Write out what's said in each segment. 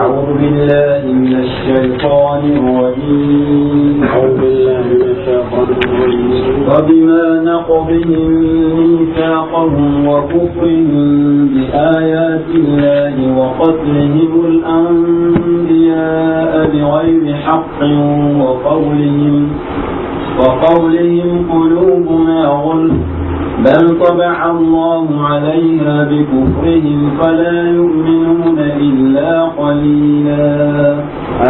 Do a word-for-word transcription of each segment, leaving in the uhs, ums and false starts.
أعوذ بالله من الشيطان الرجيم. أعوذ بالله من الشيطان الرجيم. فبما نقضهم ميثاقهم وكفرهم بآيات الله وقتلهم الأنبياء بغير حق وقولهم وقولهم قلوبنا غلف، بل طبع الله عليها بكفرهم فلا يؤمنون إلا قليلا.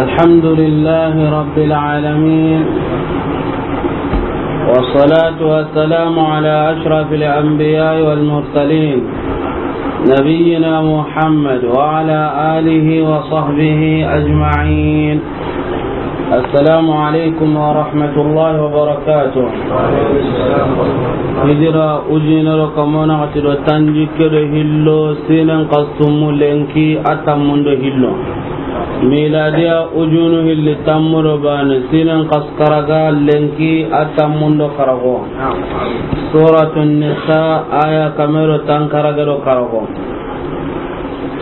الحمد لله رب العالمين، والصلاة والسلام على أشرف الأنبياء والمرسلين، نبينا محمد وعلى آله وصحبه أجمعين. السلام عليكم ورحمة الله وبركاته. Hijira ujine do kamo naxati do tanjikke do hillo, siinen xasu tunmu lenki a tanmun do hillo. Miladiya ujunu hilli tanmu do baane, siinen xasu karago lenki a tanmun do karago. Suratun Nisa, aya kame do tankarage do karago.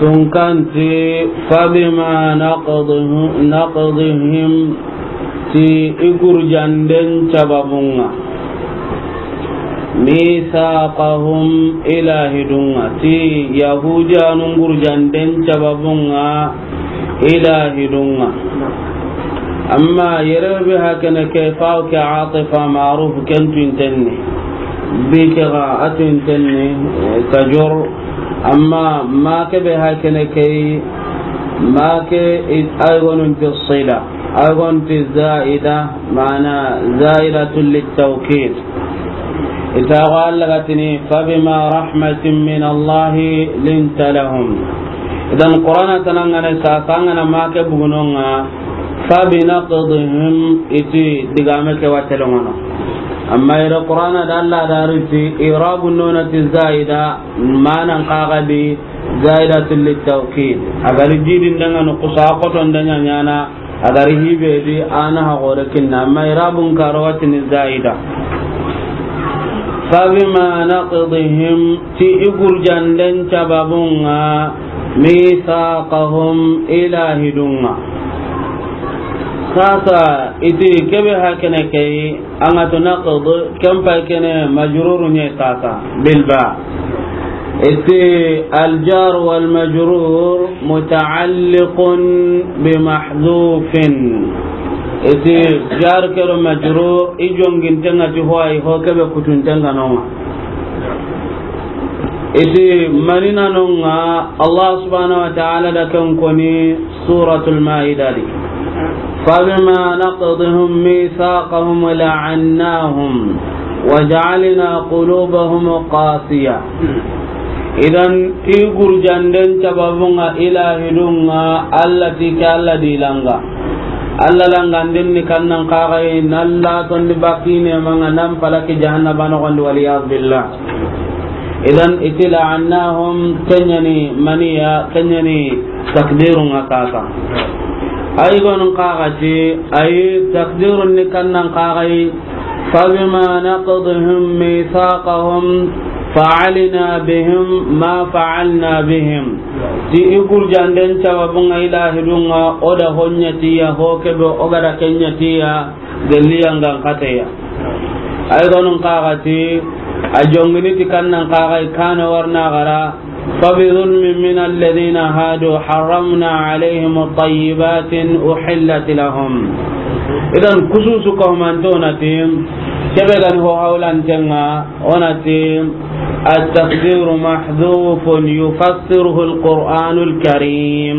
Tunkanti, فبما نقضهم، نقضهم، ti i gurjanden sababun ŋa, ميثاقهم، i laahidun ŋa, ti Yahudiyanun gurjanden sababun ŋa, i laahidun ŋa. Amma yere be hakene ke, faaw ke atifa, ma'ruf, ken tuinten ni. Bi ke ga a tuinten ni, eh, tajor. Amma ma ke be hakene ke, ma ke i-, ay gonun ti sila, ay gonun ti zaida, maana zaidatun littawkid. Ita ga Alla ga tini, فبما رحمة من الله لنت لهم. Idan Qur'ana tana ŋa ni sasa ŋa na ma ke bugunon ŋa, فبنقضهم, i ti digame ke wa telengono. Amma ira Qur'ana da Alla da ri ti i'rabu nona ti zaida, maanan xa ga di zaidatun littawkid. A ga ri jidin da ŋa no kusa koton da ɲa ɲaana, a ga ri hibe di a na ha gore kinna, amma i'rabun karo wa tini zaida. فبما نقضهم, ti i gurjanden sababun ŋa, ميثاقهم, i laahidun ŋa. Sasa i ti ke be hakene ke, an ga to naqd, ken pay kene majruru ɲa sasa, bil ba. I ti الجار والمجرور متعلق بمحذوف. I ti jar ke do majrur, i jonginten ŋa ti ho ay, ho ke be kutunten ŋa no ŋa. I ti mani na no ŋa, Allah subhanahu wa ta'ala da ken koni Suratul Maida di. فبما نقضهم ميثاقهم لعناهم وجعلنا قلوبهم قاسية. Idan, i gurjanden sababun ŋa i laahidun ŋa, Alla ti ke Alla di langa. Alla langa ndin ni kannan xa ga yi, na Alla tondi bakine ma ŋa nan palaki jahannaba noxon di, wal iyaz billah. Idan, i ti لعناهم, ke ɲa ni maniya, ke ɲa ni takdirun ŋa sasa. Ay gonun xa ga ti, ay takdirun ni kannan xa ga yi, فبما نقضهم ميثاقهم فعلنا بهم ما فعلنا بهم. Ti i gurjanden sababun ŋa i laahidun ŋa, o da ho ɲa ti ya, ho ke be o ga da ke ɲa ti ya, gelli yangan xateya. Ay gonun xa ga ti, a jongini ti kannan xa ga yi, kana warna gara, فبظلم من الذين هادوا حرمنا عليهم طيبات أحلت لهم. Idan, kususu ko manto na ti, ke be ga ni ho hawlanten ŋa, o na ti, التقدير محذوف يفسره القرآن الكريم.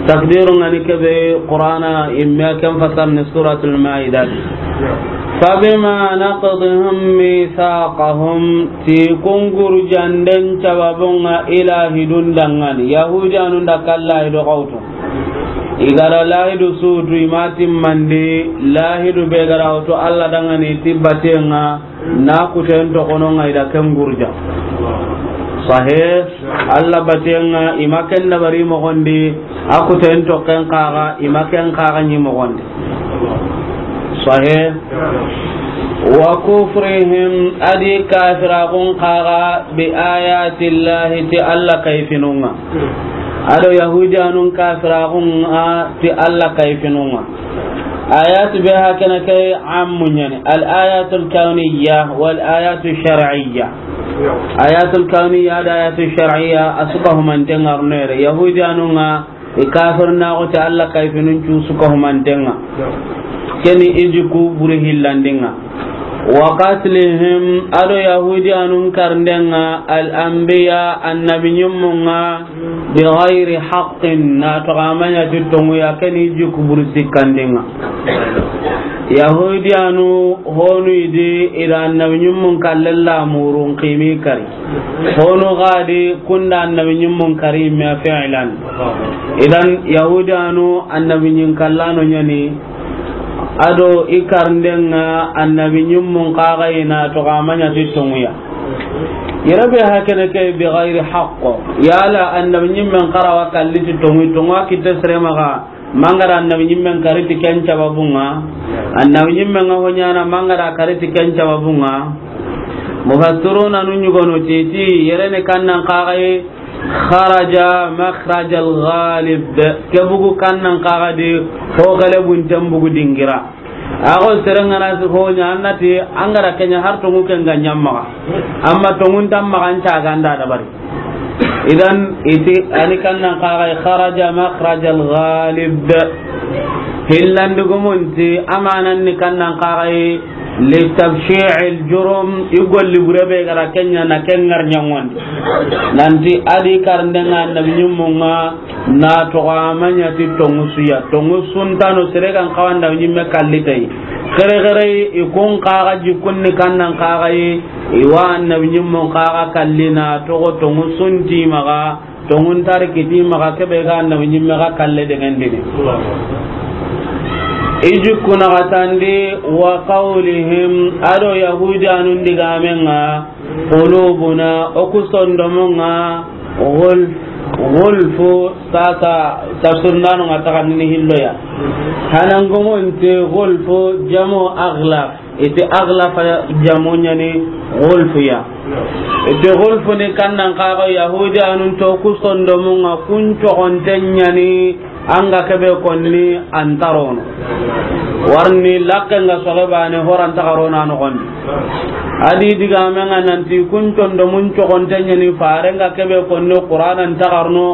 Takdirun ŋa ni ke be Qur'ana imme ken fasar ni Suratul Maida. فبما نقضهم ميثاقهم, ti kun gurjanden sababun ŋa i laahidun danŋa ni. Yahudiyanun da ke laahidu xa wutu. I ga da laahidu su wutu, i ma timmandi, laahidu be ga da wutu Alla danŋa ni ti baten ŋa, na kuten toxono ŋa i da ken gurja. Sahe, Alla baten ŋa i ma ken dabari moxon di, a kuten toxen xa ga i ma ken xa ga ɲi moxon di. Sahe. وكفرهم, a di kafiraxun xa ga, بآيات الله, ti Alla kayfinun ŋa. A do Yahudiyanun kafiraxun ŋa ti Alla kayfinun ŋa. Ayat be hakene ke ammu ɲa ni. Al ayatul kawniya wal ayatu shar'iyya. Ayatul kawniya da ayatu shar'iyya a su ka humanten ŋa ro nere. Yahudiyanun ŋa i kafirnaxu ti Alla kayfinun cu su ka humanten ŋa. Ke ni i jikku buri hillandin ŋa. Wa qatlihim, a do Yahudiyanun karinden ŋa, al anbiya, annabi ɲimmun ŋa, bi ghayri haqqin, na toxo a ma ɲa ti tonŋu ya, ke ni i jikku buri sikkandin ŋa. Yahudiyanu honu i di i da annabi ɲimmun kallen la murun ximi kari. Honu xa di kun da annabi ɲimmun kari me fi'lan. Idan Yahudiyanu annabi ɲin kallano ɲa ni. A do i karinden ŋa annabi ɲimmun xa ga i na toxo a ma ɲa ti tonŋu ya. Yere be hakene ke bi ghayri haqq. Yala annabi ɲimmen xa ra wa kalli ti tonŋu, tonŋu a kitte sere maxa. Mangara annabi ɲimmen kari ti ken sababun ŋa. Annabi ɲimmen ŋa ho ɲaana mangara kari ti ken sababun ŋa. Mufassiruna nu ɲugono ti ti yere ni kannan xa ga i Kharaja makhrajal ghalib. Ke bugu kannan xa ga di ho gale bunten bugu dingira. A go sere ŋa na ho ɲa a na ti an ga ra ke ɲa har tonŋu ken ga ɲa maxa. Amma tonŋun ta maxa an ca ga nda dabari. Idan i ti a ni kannan xa ga i kharaja makhrajal ghalib. Hillandi gumun ti amanan ni kannan xa ga i Li tabshi'il jurum, i golli bure be ga ra ke ɲa na ke ŋari ɲaŋondi. Nanti a di karinden ŋa annabi ɲimmun ŋa na toxo a ma ɲa ti tonŋu su ya. Tonŋu su nta no sere ga n xawa annabi ɲimme kalli ti a yi. Xere xere i kun xa ga jikkun ni kannan xa ga yi, i wa annabi ɲimmun xa ga kalli na toxo tonŋu su nti maxa. Tonŋun ta ri kiti maxa ke be ga annabi ɲimme ga kalle deŋendini. I jikku naxatandi wa qawlihim, a do Yahudiyanun digaamen ŋa, qulubuna, o ku sondomun ŋa, ghulf, ghulfu, sasa tafsir nanu ŋa taxandini hillo ya. Hanan gumunti ghulfu jamu aghlaf. I ti aghlafa jamu ɲa ni ghulfu ya. I ti ghulfu ni kannan xa ga Yahudiyanun ti o ku sondomun ŋa kun coxonten ɲa ni an ga ke be konni an ta ro no. Warni laqqen ga soxe baane ho ra nta xa ro no a noxondi. A di digaamen ŋa nanti kun sondomun coxonten ɲa ni faren ga ke be konni Qur'ana nta xa ro no.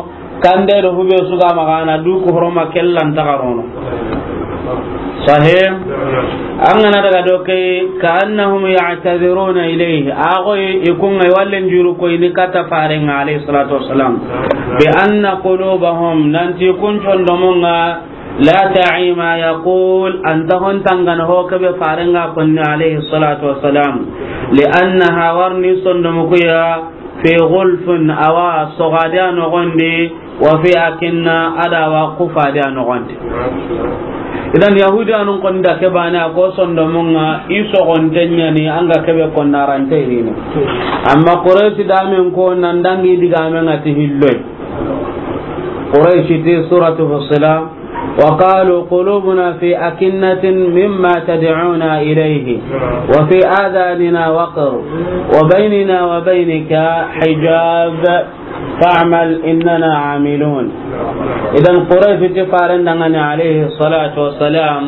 Kande do hube su ga maxa na du ku horoma kellan ta xa ro no. Sahih. An ga na daga do ke, ka annahum ya'taziruna ilayhi. A go i kun ŋa i wallen juru ko i ni kata faren ŋa alayhi salatu wassalam. Bi anna qulubahum, nanti kun sondomun ŋa, la ta'i ma yaqul, an ta hon tangana ho ke be faren ŋa konni alayhi salatu wassalam. Li annaha, warni sondomu ku ya, fi ghulfin, a wa soxadi a noxondi, wa fi akinna, a da wa kufadi a noxondi. Idan Yahudiyanun koni da ke baane a ko sondomun ŋa i soxonten ɲa ni an ga ke be konna a ra nta i rini. Amma Quraysh damen ko nan dangi digaamen ŋa ti hilloy. Quraysh ti suratu Fussilat. وقالوا قلوبنا في أكنة مما تدعونا إليه وفي آذاننا وقر وبيننا وبينك حجاب فاعمل إننا عاملون. Idan Quraysh ti faren danŋa ni alayhi salatu wassalam,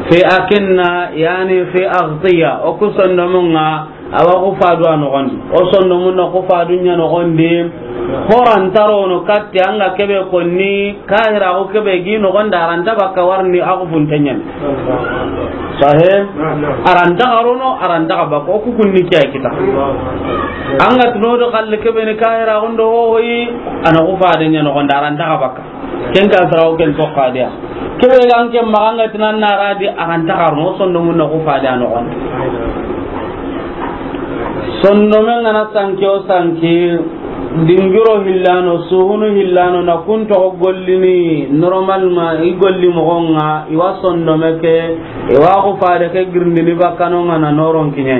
fi akinna, yani fi aghtiya, o ku sondomun ŋa, a wa kufadu a noxondi. O sondomun na kufadu ɲa noxondi. Ho ra nta ro no katti an ga ke be konni, kahira ko ke be gi noxondi a ra nta bakka warni a kufunten ɲa ni. Sahih? A ra nta xa ro no, a ra nta xa bakka. O ku kunni ke ya kita. An ga ti no do xalle ke be ni kahira ko ndo ho yi, a na kufaden ɲa noxondi a ra nta xa bakka. Ken ka sarawo ken toxo a di ya. Ke be ga an ke maxa an ga ti nan na ra di a ra nta xa ro no, sondomun na kufadi a noxondi. Sondomen ga na sanki o sanki, dingiro hillano, suhunu hillano, na kun toxo gollini, normalement, i golli moxon ŋa, i wa sondome ke, i wa kufade ke girindini bakka no ŋa na noron kiɲe.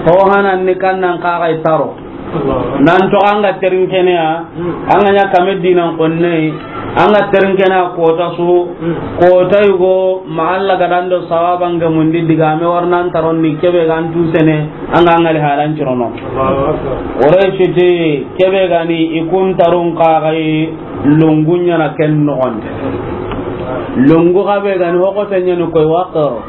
Ho hanan ni kannan xa ga i ta ro. Nan toxo an ga terin kene ya, an ga ɲa kame dinan konne, An ga terinkena kota su, kota yugo, ma Alla ga dando sawaba nge mundi diga me warnan taron ni kebe ga an tu sene, an ga ngali halan cirono. Ore siti kebe ga ni i kun tarun kagai lungu ɲana ken noxon. Lungu ga be ga ni hoko te ɲani koy wakaro.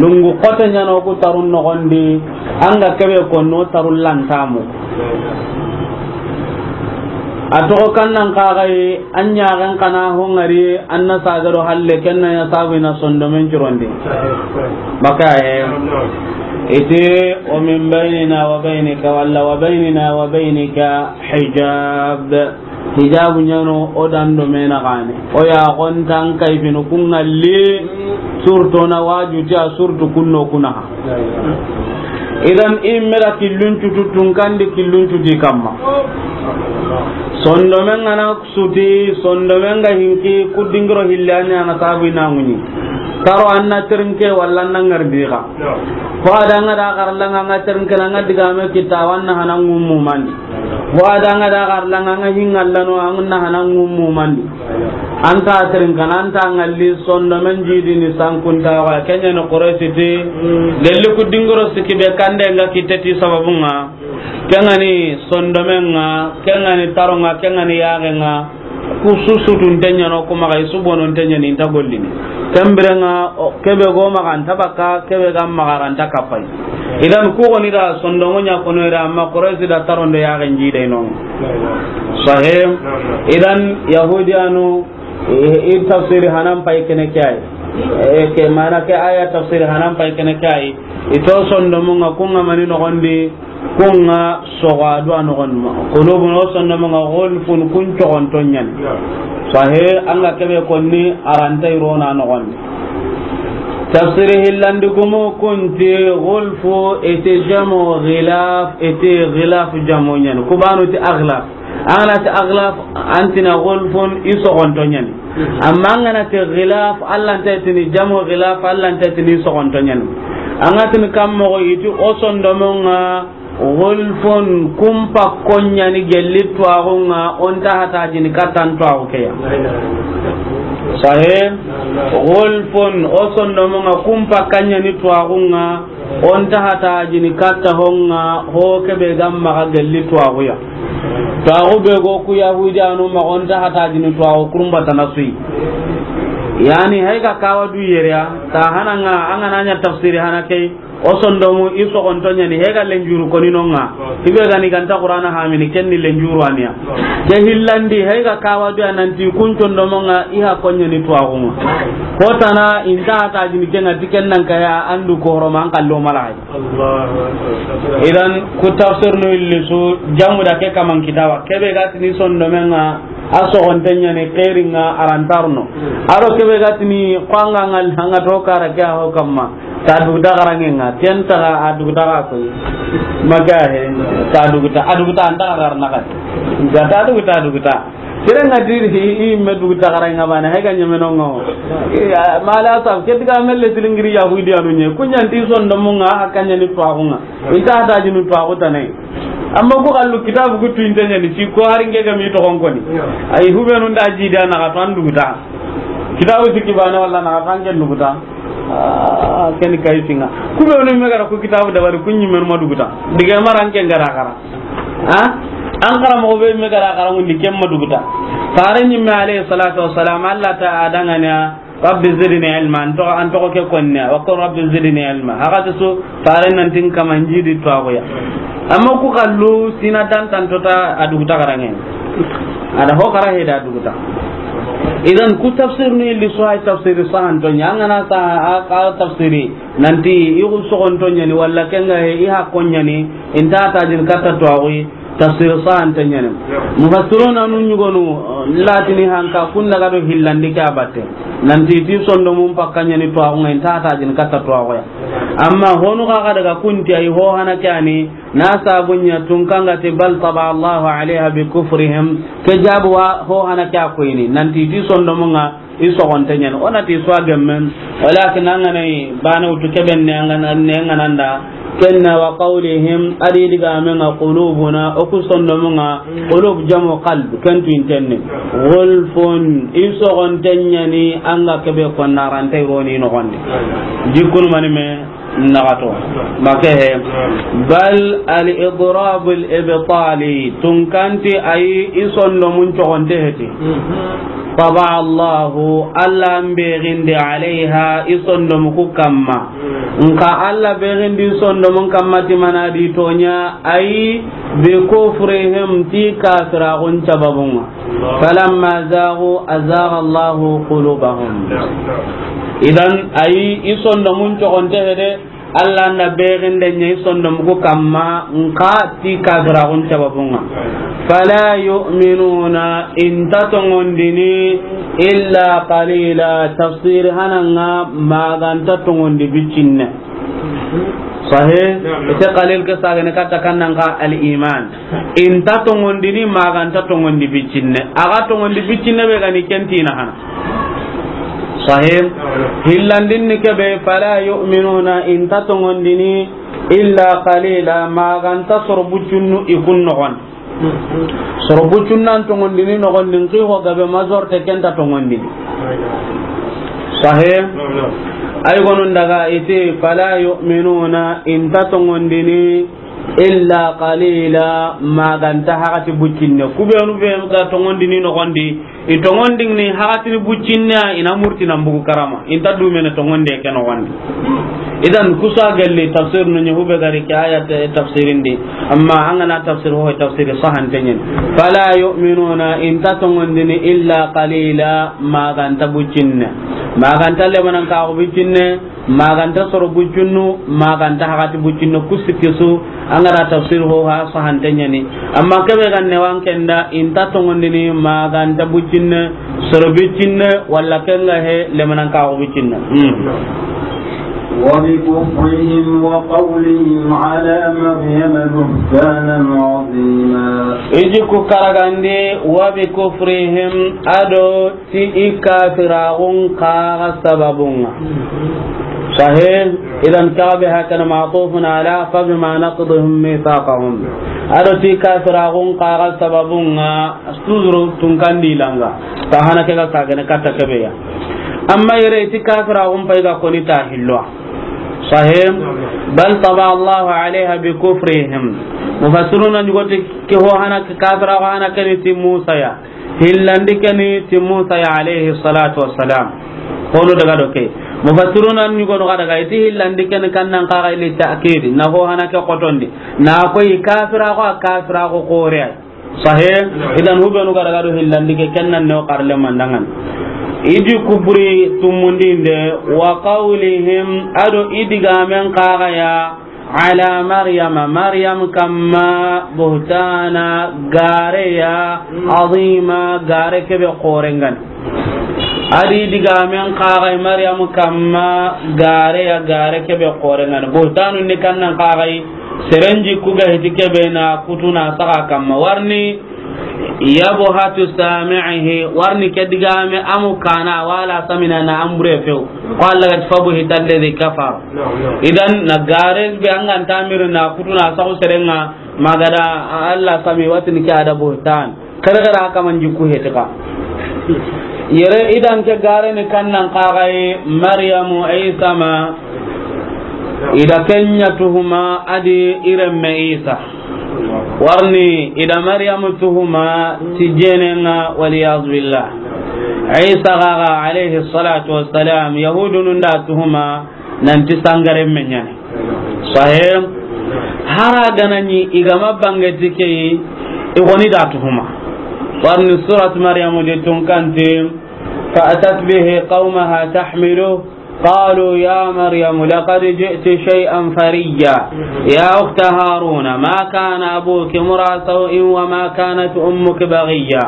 Lungu xote ɲano ku tarun noxondi, an ga kebe konno tarun lantamu. A toxo kannan kaxayi, an ɲaxen xana hongari, an na sagaro halle, ken na ya sabu i na sondomen curondi. Maka he. Iti, o min baynina wa baynika, walla wa baynina wa baynika hijab. Hijabu ɲano o dando mena gane. O ya gontan kayfinu kungalli surto na wajuti a surtu kunno kunaha. Idan immera killun cutu tunkandi killun cuti kamma. Sondomen ngana suti, sondomen ga hinki, kudingiro hillani ana sabu ina ŋuɲi. Taro anna terinke walla anna ngardiga. Ko adanga da garlanga nga terinke na nga digame kita wanna hanan ngummu mandi. Wa danga da garlanga nga hingallano, an na hanan ngummu mandi. Anta tirin kana, anta ngalli sondomen jidi ni sankunta wa, kenya no Quraysi ti, gelli ku dingoro siki be kande nga kiteti sababunga, kengani sondomen nga, kengani taronga, kengani yagenga, ku susutu ntenya no kuma ga isubono ntenya ni nta gollini. Kembirenga, o, kebe go maga nta baka, kebe ga maga ranta kapai. Idan ku goni da sondomo ɲa kono ira, amma Quraysi da tarondo ya ganji dai non. Sahih. Idan Yahudiyanu, e, i tafsiri hanan pai kene kai. E, ke mana ke aya tafsiri hanan pai kene kai. Ito sondomo nga kunga mani no gondi, kunga soga dua no gon ma. Qulubun, o sondomo nga gulfun, kun cogonto ɲani. Sahih, anga kebe konni aranta irona no gondi. Tafsiri hillandi gumu kunti gulfu iti jamu ghilaf, iti ghilaf jamu ɲani. Kubanu ti aghlaf. Angana ti aghlaf, antina gulfun i sogonto ɲani. Amma angana ti ghilaf, allanta tini jamu ghilaf, allanta tini i sogonto ɲani. Anga tini kammo iti o sondomonga Gulfun, kumpa konyani gelli tuwaxunga, onta hatajini kattan tuwaxu keya. Sahe, gulfun, o sondomonga, kumpa kanyani tuwaxunga, onta hatajini katta honga, ho kebe gamma ga gelli tuwaxuya. Tuwaxu be go ku Yahudi anu ma, onta hatajini tuwaxu kurumba tana suyi. Yani, hay ga kawa du yereya, ta hananga, angana nya tafsiri hana key, o sondomu, i soxonto ɲani, he ga lenjuru koni nonga. I be gani ganta Qur'ana hamini, ken ni lenjuru aniya. Ke hillandi, he ga kawa du ya nanti kun sondomonga, i ha konyani tuwaxunga. Hotana, inta hatajini kenga, ti ken nan kaya, andu ko horoma, an kallo malahay. Idan, ku tafsir no illisu, jamu da ke kaman kitawa. Kebe ga tini sondomenga, a soxonte ɲani xeringa arantarno. Aro kebe ga tini xo anga ngal hanga to kara ke ho kamma. Ta duguta garangenga, ken taga a duguta ga koy. Maga he, ta duguta, a duguta anta ga garna ga. Ga ta duguta, duguta. Sere nga diri i, i me duguta garangenga bana, he ga ɲeme nongo. Mala sab, ke diga melle tilingiri Yahudi anu ɲe. Kunyanti sondomunga, hakanyani tuwaxunga. Inta hatajini tuwaxu tane. Amma ku xallu kitabu ku tuinte ɲani, ci ko hari nge ga mi toxon koni. Ay, hubenu nda jidi a naxa tan duguta. Kitabu sikki bane walla naxa tan ken duguta. Ah, ken kay singa. Ku be woni me gara ku kitabu dabari ku ɲimenu ma duguta. Dige maran ken gara xara. Ha? An xara mo be me gara xara ngundi ken ma duguta. Fare ɲimme alayhi salatu wassalam, Allah ta adangana. Rabbi zidni ilma, an toxo, an toxo ke konne, wa qul rabbi zidni ilma. Haga to su, fare nan tin kaman jidi tuwaxuya. Amma ku xallu, sina dantan tota a duguta garange. A da ho kara he da duguta. Idan ku tafsir ni li suhay tafsir sahan to ɲa, angana sa a, a tafsiri, nanti i ku soxonto ɲani, walla kenga he, i ha konyani, inta tajin katta tuwaxuyi, tafsir sahante ɲani. Mufassiruna nu ɲugonu, latini hanka kun daga do hillandi ke a batte. Nanti ti sondomun pakka ɲani tuwaxunga, inta hatajini katta tuwaxuya. Amma honu xa xa daga kunti ay ho hana ke ani, na sabunya tunkanga ti bal taba Allahu alayha bi kufrihim. Ke jabu wa ho hana ke a koyini. Nanti ti sondomunga, i soxonte ɲani. O na ti swa gemmen, walakin angana i bana wutu keben ne angana, ne angana nda, Ken na wa qawlihim, a di digamen ŋa qulubuna, o ku sondomun ŋa, qulub jamu qalb, ken tu intenne. Gulfun, i soxonten ɲa ni, an ga kebe konnarante roni noxondi. Jikkunu mani me, naxato. Make he. Bal al idrab al ibtali, tunkanti ayi i sondomun coxonte heti. Taba Allahu, Alla n begindi alayha, i sondomu ku kamma. Nka Alla begindi sondomun kamma ti mana di toɲa, ayi bi kufrihim ti kafiraxun sababun ŋa. Falamma zagu azagha Allahu qulubahum. Idan ayi i sondomun coxonte hede, Alla na beginde ɲa i sondomu ku kamma nka ti kafiraxun sababun ŋa. Fala yu'minuna, i nta toŋondini illa qalila, tafsir hanan ŋa ma ga nta toŋondi bicinne. Sahih? Ite qalil ke sagene katta kannan ka al iman. I nta toŋondini ma ga nta toŋondi bicinne. A ga toŋondi bicinne be ga ni ken ti na hana. Sahih. Hillandin ni kebe, fala yu'minuna, i nta toŋondini illa qalila, ma ga nta soro bucunnu i kun noxon. Soro bucunnan toŋondini noxon din ki ho gabe majorité ken ta toŋondini. Sahih. Ay gonun daga iti fala yu'minuna, i nta toŋondini illa qalila, ma ga nta hagati buccinne. Ku benu be ga toŋondini noxondi, i toŋondini hagati ni buccinne, i na murti na mbugu karama. I nta dumene toŋonde ke noxondi. Idan kusa galli tafsir no ɲa hube gari ke aya tafsirindi. Amma an ga na tafsir ho tafsir sahante ɲen. Fala yu'minuna, i nta toŋondini illa qalila, ma ga nta buccinne. Ma ga nta lemanan ka buccinne. Ma ga nta soro bucunnu, ma ga nta hagati bucunnu, ku sikki su, an ga ra tafsir ho ha sahante ɲa ni. Amma kebe ga ne wan kenda, i nta toŋondini, ma ga nta bucinne, soro bucinne, walla ken ga he, lemanan ka bucinne. Hmm. وبكفرهم وقولهم على مريم بهتانا عظيما. I ji ku karagandi, wa bi kufrihim, a do ti i kafiraxun kaxa sababun ŋa. Sahih, idan kaxa be hakana ma'tufun ala fa bima naqdihim mithaqahum. A do ti kafiraxun kaxa sababun ŋa, toujours tunkandi langa. Ta hana ke ga sagene katta kebe ya. Amma yere ti kafiraxun pay ga koni ta hillo. Sahih, bal taba Allahu alayha bi kufrihim. Mufassiruna ɲugoti ke ho hana ke kafiraxu hana ke ni ti Musa ya. Hillandi ke ni ti Musa ya alayhi salatu wassalam. Hono daga do ke. Mufassiruna ɲugono ga daga iti hillandi ke ni kannan kaxa ili ta'kid. Na ho hana ke xotondi. Na koy kafiraxu, kafiraxu xore. Sahih, idan hubenu ga daga do hillandi ke kennan ne o karle mandangan. I ji kuburi tumundinde wa qawlihim a do i digamen kaxa ya. Ala Maryama, Maryam kamma, buhtana, gareya, azima, gare kebe xorengan. A di digamen kaxa Maryam kamma, gareya, gare kebe xorengan. Buhtanu ni kannan kaxa, serenji ku ga hiti kebe na kutuna saxa kamma. Warni, Yabhatu sami'ihi, warni ke digame amu kana wala samina na ambure few. Qala qad fabuhita alladhi kafar. Idan na gare be an ga nta miri na kutuna saxu serenga ma ga da Allah sami watini ke a da buhtan. Kare kare haka man jikku hetika. Yere idan ke gare ni kannan kaxay Maryamu Isa ma i da kenya tuhuma a di i renme Isa. Warni i da Maryamu tuhuma ti jenenga, wal iyaz billah. Isa gaga alayhi salatu wassalam, Yahudunun da tuhuma nanti sangaren me ɲani. Sahih. Hara ganani i ga ma bange ti ke, i goni da tuhuma. Warni surat Maryamu de tunkanti, fa atat bihi qawmaha tahmilu. قالوا يا مريم لقد جئت شيئا فريا. يا أخت هارون ما كان أبوك امرأ سوء وما كانت أمك بغيا.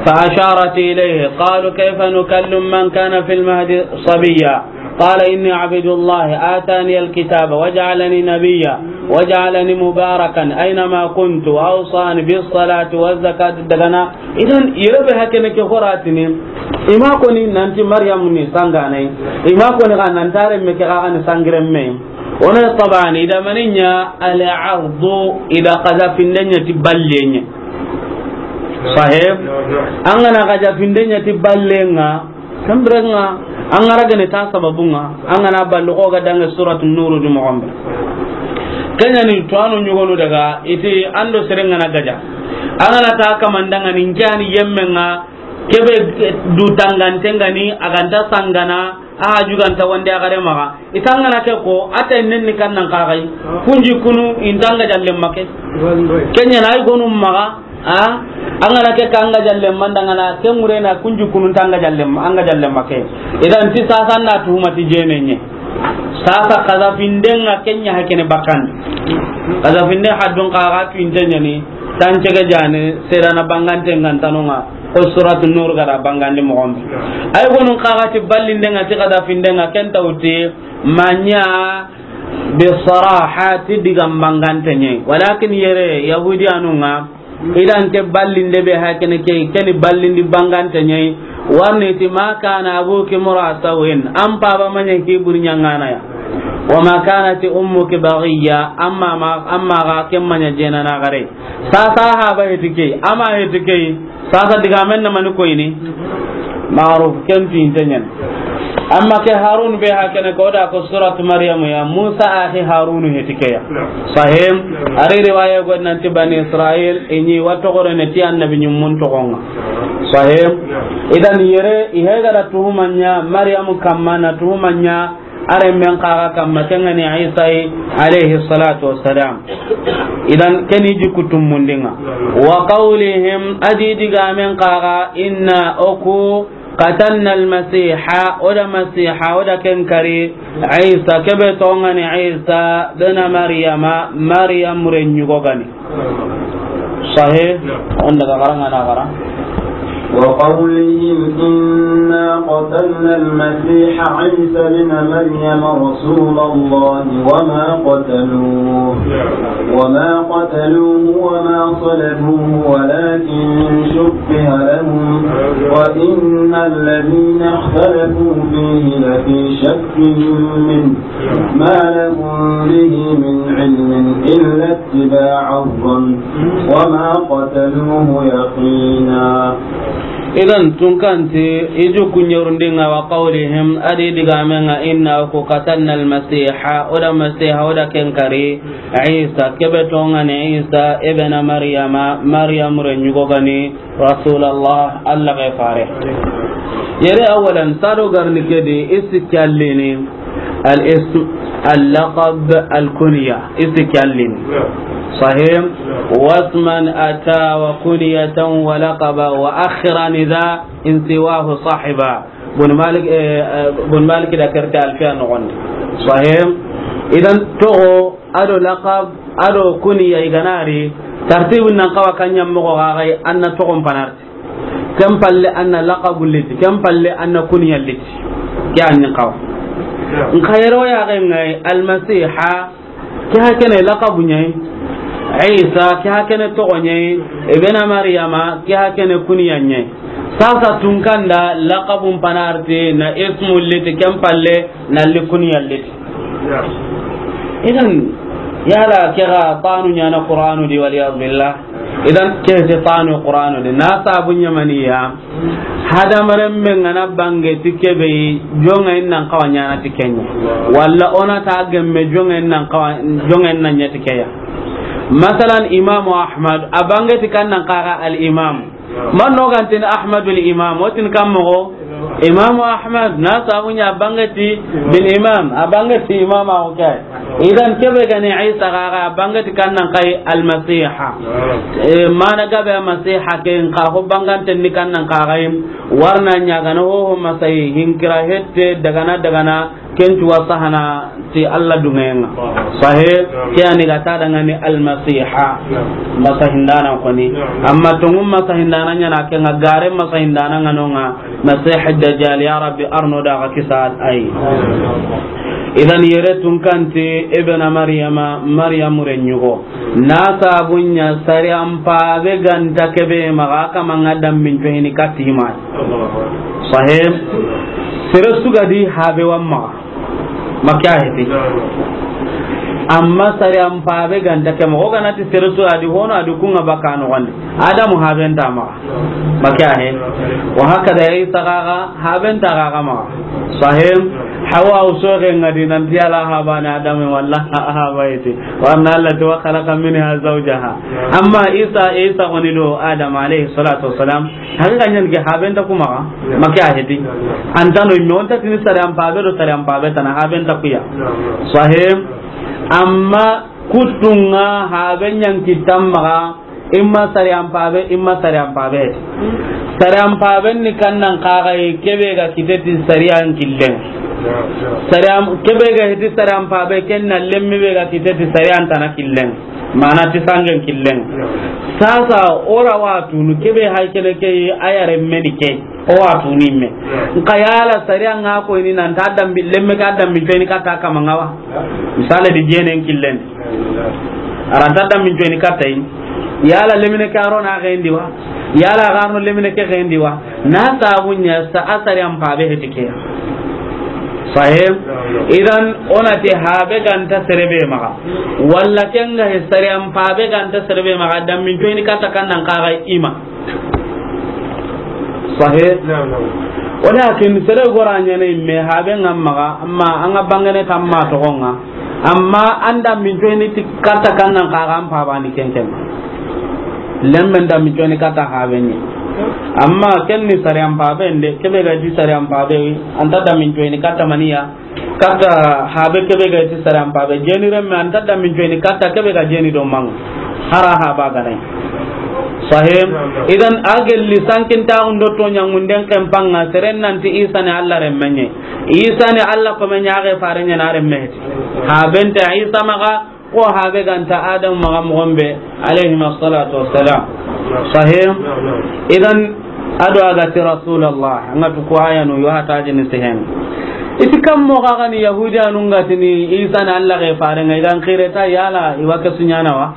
فأشارت إليه. قالوا كيف نكلم من كان في المهد صبيا. قال إني عبد الله آتاني الكتاب وجعلني نبيا وجعلني مباركا أينما كنت وأوصاني بالصلاة والزكاة. Dagana Idan, yere be hakene ke horatini, i ma koni nanti Maryamu ni sanganai, i ma koni ga nanti a renme ke ga ni sangirenme. Wona tabani, i da mani ɲa al-ardu, i da xazafinden ɲa ti ballen ɲa. Sahib? An ga na xazafinden ɲa ti ballen ŋa, ken biren ŋa, an ga ra gene ta sababun ŋa, an ga na ballu xo ga danŋa Suratu Nuru di moxo be. Ken ɲa ni tuwaano ɲogonu daga, i ti an do seren ga na gaja. An ga na ta kaman danŋa ni n ke ya ni yemmen ŋa, ke be du tanganten ga ni, a ga nta sangana, a haju ga nta wande a gare maxa. I ta an ga na ke ko, a ta nen ni kan nan xaxay. Kun jikkunu, i nta an gajallen ma ke. Ken ɲa na ay gonu maxa, a, an ga na ke ka an gajallen ma n danŋa na, ke ŋure na kun jikkunu nta an gajallen ma, an gajallen ma ke. I da n ti sasa n da tuhuma ti jene ɲa. Sasa xazafinden ŋa ken ɲa hakene bakandi. Xazafinden haddun xa ga tuwinte ɲa ni, tan cege jane, serana banganten ŋa n tanu ŋa. Ko Suratu Nur ga da bangandi moxo be. Ay gonun xa ga ti ballinden ŋa ti xazafinden ŋa ken ta wuti ma ɲa bi saraha ti digan bangante ɲa yi. Walakin yere Yahudiyanun ŋa, i da n ke ballinde be hakene ke, ke ni ballindi bangante ɲa yi. Warni ti, "Ma kana abuki mura sawin," an paba ma ɲa hibur ɲangana ya. "Wa ma kanat ummuki baghiya," amma ma, amma ga ke ma ɲa jena na gare. Sasa haba heti ke, ama heti ke, sasa digamen na mani koyini. Maruf, ken tuwinte ɲa ni. Amma ke Harun be hakene ko da ko Suratu Maryam ya, Musa axi Harun heti ke ya. Sahib? A ri riwaya go nan ti Bani Israil, i ɲi wa toxorene ti annabi ɲimmun toxon ŋa. Sahib? I da n yere, i he ga da tuhuma ɲa Maryam kamma, na tuhuma ɲa a renmen xa ga kamma, ken ga ni Isa yi, alayhi salatu wassalam. I da n ke ni jikku tumundin ŋa. Wa qawlihim, a di digamen xa ga, "Inna oku qatalna al-Masiha," o da Masiha, o da ken kari, Isa, ke be toxon ŋa ni Isa, bena Maryama, Maryam ren ɲugo ga ni. Sahib? Na'am. Wanda ga xara ŋa na xara. وقولهم إنا قتلنا المسيح عيسى ابن مريم رسول الله وما قتلوه، وما قتلوه وما صلبوه ولكن شبه لهم، وإن الذين اختلفوا فيه لفي شك منه، ما لهم به من علم إلا اتباع الظن وما قتلوه يقينا. Idan, tunkanti, i ju kuɲerundin ŋa, wa qawlihim, a di digamen ŋa, inna ku qatalna al-Masiha, o da Masiha, o da ken kari, Isa, ke be toxon ŋa ni Isa, ibna Maryama, Maryam ren ɲugo ga ni, Rasulallah, Allah ga fare. Yere awalan, sado garni ke di, i sikki allini, al-ism, al-laqab, al-kunya, i sikki allini. Sahib? Wasman ata wa kunyatan wa laqaba wa akhiran idha in siwahu sahiba. Bun Malik, eh, eh, Bun Malik da kerte Alfiya noxon di. Sahib? Idan toxo, a do laqab, a do kunya i ga na ri, tartibun nan xawa kan ɲa moxo ga ga yi, an na toxon panarti. Ken palle an na laqabu liti, ken palle an na kunya liti. Ke an ni xawa. Nxa yere o ya ga ŋa yi Almasiha, ke hakene laqabu ɲa yi. Isa, ke hakene toxo ɲa yi. Ibena Maryama, ke hakene kunya ɲa yi. Sasa tunkanda laqabun panarti na ismu liti, ken palle na li kunya liti. Idan, yala ke ga tanu ɲaana Qur'anu di, wal iyadu billah. Idan, ke te tanu Qur'anu di. Na sabu ɲamaniya, hadamaren be ŋa na bange ti ke be yi, jonŋa in nan xawa ɲaana ti ke ɲa. Walla o na ta gemme jonŋa in nan xawa, jonŋa in nan ɲa ti ke ya. Masalan, Imamu Ahmad, a bange ti kan nan xaga al-Imam. Man no ga ntin Ahmadul Imam, o tin kan moxo? Imamu Ahmad, na sabu ɲa a bange ti bin Imam, a bange ti Imam a o ke. Idan ke be ga ni Isa ga ga, a bange ti kan nan xa yi Almasiha. E, mana gabe Almasiha ke, nxa ho bangante ni kan nan xa ga yi, warna ɲa ga na ho ho masayi, hinkira hette, dagana, dagana, Ken ti wa sahana ti Allah duŋeyen ŋa. Sahe, ke ani ga ta daŋa ni Almasiha. Masahindana koni. Amma tonŋu masahindana ɲa na ke ŋa, gare masahindana ŋa no ŋa, Masih Dajjal, ya Rabbi, arno da ga kisa ay. Idan yere tunkanti Ibn Maryama, Maryam ren ɲugo. Na sabu ɲa sariyan pabe ga nta ke be maxa, kama ŋa dambin cohini kati ma. Sahe, sere su ga di habe wa maxa. Makka heti. Amma sariyan pabe ga nta ke moxo, o ga na ti sere su a di hono, a di ku ŋa baka noxon di. Adamu haben nta maxa. Baka he. Wa hakada Isa ga ga haben nta ga ga maxa. Sahih. Hawa o soxe ŋa di nan ti Alla habane Adamu walla haba yeti. Wa anna Alla ti wa khalaqa minha zawjaha. Amma Isa, Isa woni do Adam alayhi salatu wassalam. Haqiqa ɲan ke haben nta ku maxa. Make a heti. An ta no me o nta tini sariyan pabe do sariyan pabe tana, haben nta ku ya. Sahih. Amma kuttu ŋa haben ɲan kitta maxa. Imma sariyan pabe, imma sariyan pabe. Sariyan paben ni kannan kaga yi, kebe ga kite ti sariyan killen. Sariyan, kebe ga hiti sariyan pabe, ken na lemmi be ga kite ti sariyan tana killen. Mana ti sangen killen. Sasa o ra wa tunu, kebe hay kene ke yi, a yare meni ke. O wa tunu me. Nka yala sariyan ŋa ko ni nan ta dambi, lemme ka dambi feni ka ta kama ŋa wa. Misale di jenen killen. A ra ta dambi feni ka ta yi. Yala lemine ke a ro na xendi wa? Yala a ga ro lemine ke xendi wa? Na sabu ɲa sa a sariyan pabe heti ke. Sahih. Idan o na ti habe ga nta sere be maxa. Walla ken ga he sariyan pabe ga nta sere be maxa, dambi feni ka ta kannan kaga ima. Sahih. Naam, naam. Walakin sere gora ɲa ne me haben ŋa maxa, amma an ga bangene tamma toxon ŋa. Amma an dambi feni ti katta kannan kaga an pabani ken ken. Lemmen dambi feni katta haben ɲi. Amma ken ni sariyan pabe nde, kebe ga di sariyan pabe, an ta dambi feni katta maniya. Katta habe kebe ga ti sariyan pabe. Jeni remme an ta dambi feni katta kebe ga jeni do maŋa. Hara haba ga nay. Sahih. Idan a gelli sankin ta undo to ɲangunden ken panga seren nan ti Isa ni Alla remmen ɲe. Isa ni Alla ko men ɲa ga fare ɲa na remme heti. Haben nta Isa maxa, ko habe ga nta Adam maxa moxon be, alayhima salatu wassalam. Sahih. Idan a do a ga ti Rasulallah, an ga tu ko ayanu yo hata jini sehen. I ti kam moxo ga ni Yahudiyanun ga tini Isa ni Alla ga fare ŋa, i ga n xire ta yala i wa ke su ɲana wa?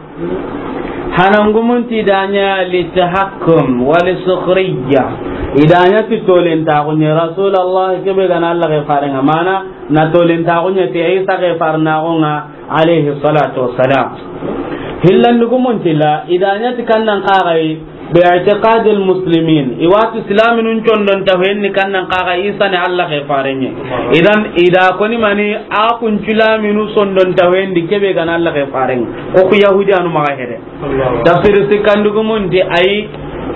Hanangumun ti da ɲa li tahakkum wa li sukhriya. I da ɲa ti tolentaxu ɲa Rasulallah kebe ga na Alla ga fare ŋa, mana na tolentaxu ɲa ti Isa ga fare naxu ŋa, alayhi salatu wassalam. Hillandugumun ti la, i da ɲa ti kannan kaga yi, bi i'tiqadil muslimin. I wa ti silaminun condon ta fenni kannan kaga Isa ni Alla ga fare ɲe. Idan i da ko ni mani a kun silaminu sondon ta fendi kebe ga na Alla ga fare ŋa. Ko ku Yahudiyanu maxa hede. Tafsir sikkandugumun ti ay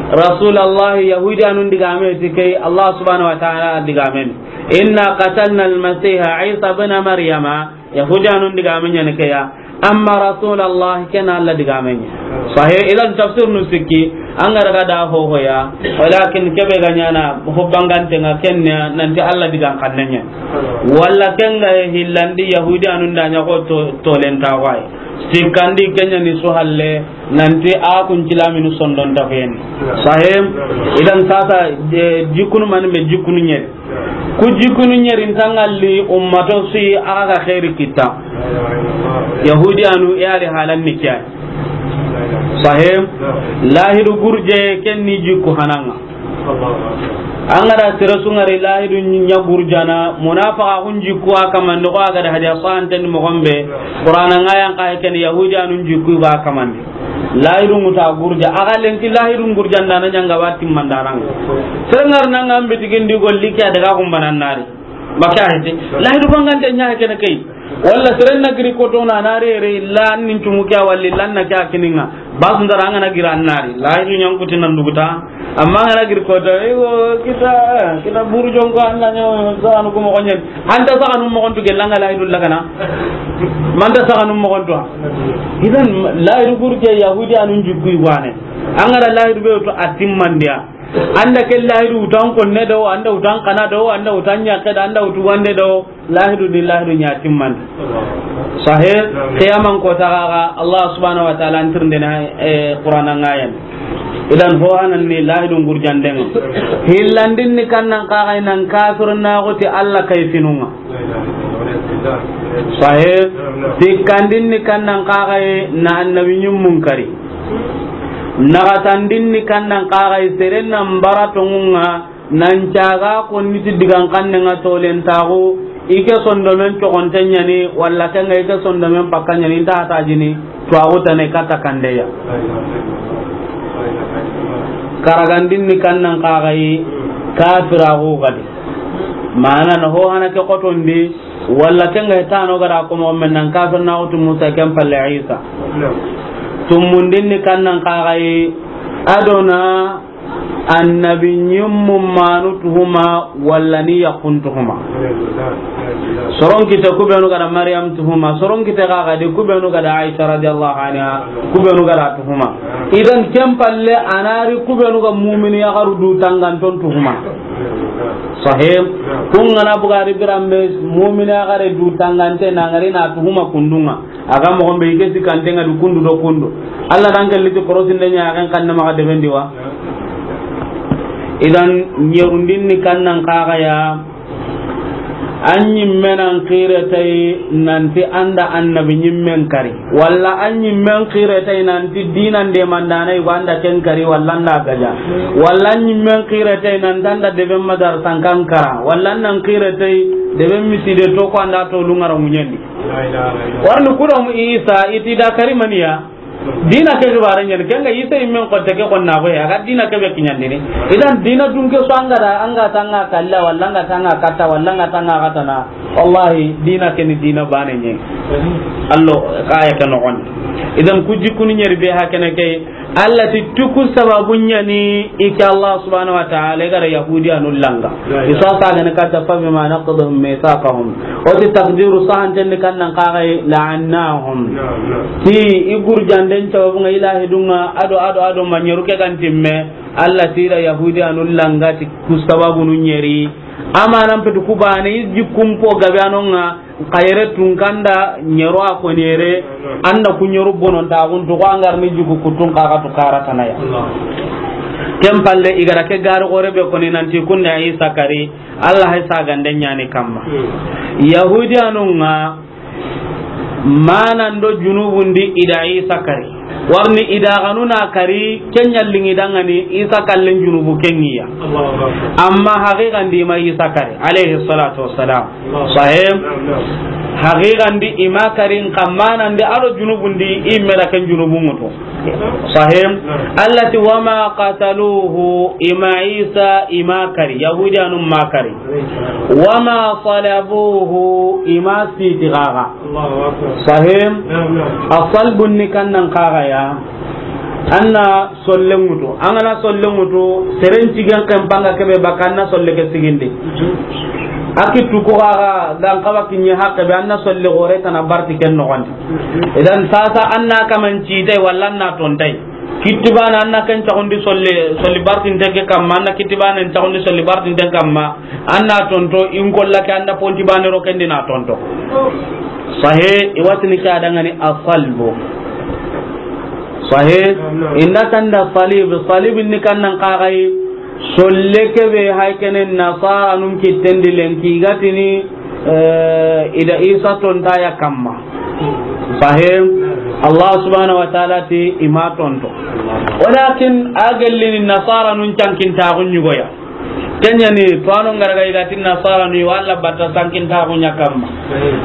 Rasulallah, Yahudiyanun digame ti ke yi, Allah subhanahu wa ta'ala digamen. Inna qatalna al-Masiha Isa ibn Maryama. Yahudiyanun digame ɲa ni ke ya. Amma Rasulallah ken Alla digame ɲa. Sahih. Idan tafsir nu sikki, an ga ra ga da ho ho ya. Walakin kebe ga ɲana ho bangante ŋa ken ya nan ti Alla digan kanne ɲa. Walla ken ga hillandi Yahudiyanun da ɲa ko to, tolentaxu wa yi. Sikkandi ken ɲa ni su halle, nan ti a kun silaminu sondon ta feni. Sahih. Idan sasa, e, jikkunu mani be jikkunu ɲeri. Ku jikkunu ɲeri nta ŋalli ummato su yi a ga xeeri kitta. Yahudiyanu i ari halan ni kiya. Sahih. Lahidu gurje ken ni jikku hanaŋa. An ga da sere su ŋari lahidu ɲa gurjana, munafaqa kun jikku a kamandi, ko a ga da hadiya sahanten moxon be, Qur'ana ŋa yan ka ken Yahudiyanun jikku ga kamandi. Lahidu ŋuta gurja, a ga lenki lahidu gurjan da na ɲanga wa timmandaran. Sere ŋar na ŋa mbitigindi golli ke a daga kumbanan nari. Baka hete. Lahidu bangante ɲa kene ke yi. Walla seren na giri koto na na re re illa nin tumu kya walli lan na kya kininga. Bas ndara an ga na gira an nari. Lahidu ɲankuti nan duguta. Amma an ga na giri koto, e wo kita, kita buru jonko an na ɲo, sa anu ko moxon ɲen. An ta sa anu moxon tu gelanga lahidu lagana. Man ta sa anu moxon tu. Idan lahidu gurje Yahudiyanun jikku wane. An ga da lahidu be to atimmandiya. An da ke lahidu utan konne do, an da utan kana do, an da utan ɲakke do, an da utu wande do. Lahidu di lahidu ɲa timmandi. Sahih. Qiyaman ko taga ga Allah subhanahu wa ta'ala an tirndena, e, Qur'ana ŋa yan. Idan ho hanan ni lahidu gurjanden. Hillandin ni kannan kaga nan kafir na goti Allah kayfinunga. Sahih. Sikkandin ni kannan kaga na annabi ɲimmun kari. Nagatandin ni kannan kaga seren nan bara tongunga. Nan caga konni ti digan kanne nga tolentaxu, I ke sondomen cogonte ɲani, walla ke ŋa i ke sondomen pakka ɲani, i nta hata jini, tuwaxu tana i katta kandeya. Karagandin ni kannan kaxayi, kafiraxu gadi. Mana na ho hana ke xotondi, walla ke ŋa i tano gada ko moxo men nan kafir na xutu Musa ken palle Isa. Tumundin ni kannan kaxayi, adona annabi ɲimmu manu tuhuma, walla ni yakkun tuhuma. Soron kite kubenu gada Maryam tuhuma, soron kite ga gadi kubenu gada Aisha radiyallahu anha, kubenu gada tuhuma. Idan ken palle anari kubenu ga mumini yaxaru du tanganton tuhuma. Sahih. Kun gana bugari birambe mumini yaxare du tangante nangari na tuhuma kundunga. Aga moxon be i ke sikkanten ŋa du kundu do kundu. Allah dan ke liti korosinde ɲa, a ken kanne maxa debendi wa. Idan ɲerundin ni kannan kaxaya, an ɲimmen an xire tay nanti an da annabi ɲimmen kari, walla an ɲimmen xire tay nanti dinan de mandana i go an da ken kari, walla an da gaja, walla an ɲimmen xire tay nanti an da deben madar sankan kara, walla an nan xire tay deben miside to ko an da to lungara muɲandi. Warni kudo mu Isa iti da kari maniya. Dina ke gibare ɲani, ke ŋa Isa immen ko teke ko na ko ya ga dina ke be kiɲandini. Idan dina dun ke so an ga da, an ga tanga kalla, walla an ga tanga katta, walla an ga tanga katana. Wallahi dina ke ni dina bane ɲe. Allo kaya ke no gon. Idan ku jikuni ɲeri be hakene ke. Allah ti tuku sababu ɲani i ke Allah subhanahu wa ta'ala i gara Yahudiyanu langa. Isa sa gane katta, fa bima naqdihim mithaqahum. O ti takdiru sahanten ni kannan kaxay la'annahum. Ti i gurjanden sababu ŋa ilahi dunga ado, ado, ado maɲeru ke gantimme. Allah ti da Yahudiyanu langa ti ku sababu nu ɲeri. Amanan petu ku bane i jikkumpo gabe anonga. Xayere tun kanda ɲero a ko ɲere, an da ku ɲeru bonon ta gun to ko an gar ni jugu kutun kaga to kara tanaya. Ken palle i gara ke gari gore be koni nanti kunde Isa kari, Allah hay sagande ɲani kamma. Yahudiyanun ŋa manan do junubun di i da Isa kari. Warni i da ganuna kari, kenya lingi dangani Isa kallen junubu kengiya. Amma haqiqan di ma Isa kari, alayhi salatu wassalam. Sahih. Haqiqan di i ma karin kammanan di ado junubun di i mera ken junubun mutu. Sahih. Allah ti wama qataluhu, i ma Isa i ma kari, Yahudiyanun ma kari. Wama salabuhu, i ma siti gaga. Sahih. Asalbun ni kannan kaga ya. Anna solle ŋutu, an gana solle ŋutu, seren cigen ken panga kebe baka anna solle ke sigindi. Aki tuku gaga dan kawa kinye hakke be anna solle gore tana barti ken nogondi. Idan sasa anna kaman citai walla anna tontai. Kitti bana anna ken cagundi solle, solli bartinte ke kamma, anna kitti bana cagundi solli bartinte kamma, anna tonto in kolla ke anna ponti bane ro kendi na tonto. Sahe, iwatini ke adangani asalbu. Sahe, inda tanda salib, salib ni kannan kagai, solle kebe haikene nasara nun kittendi lenki gatini, eh, ida Isa tonta ya kamma. Sahe, Allah subhanahu wa ta'ala ti ima tonto. Walakin agellini nasara nun cankin tagun yugoya. Kenyani, tuwano ngaraga igati nasara ni wala bata sankin tagu nya kamma.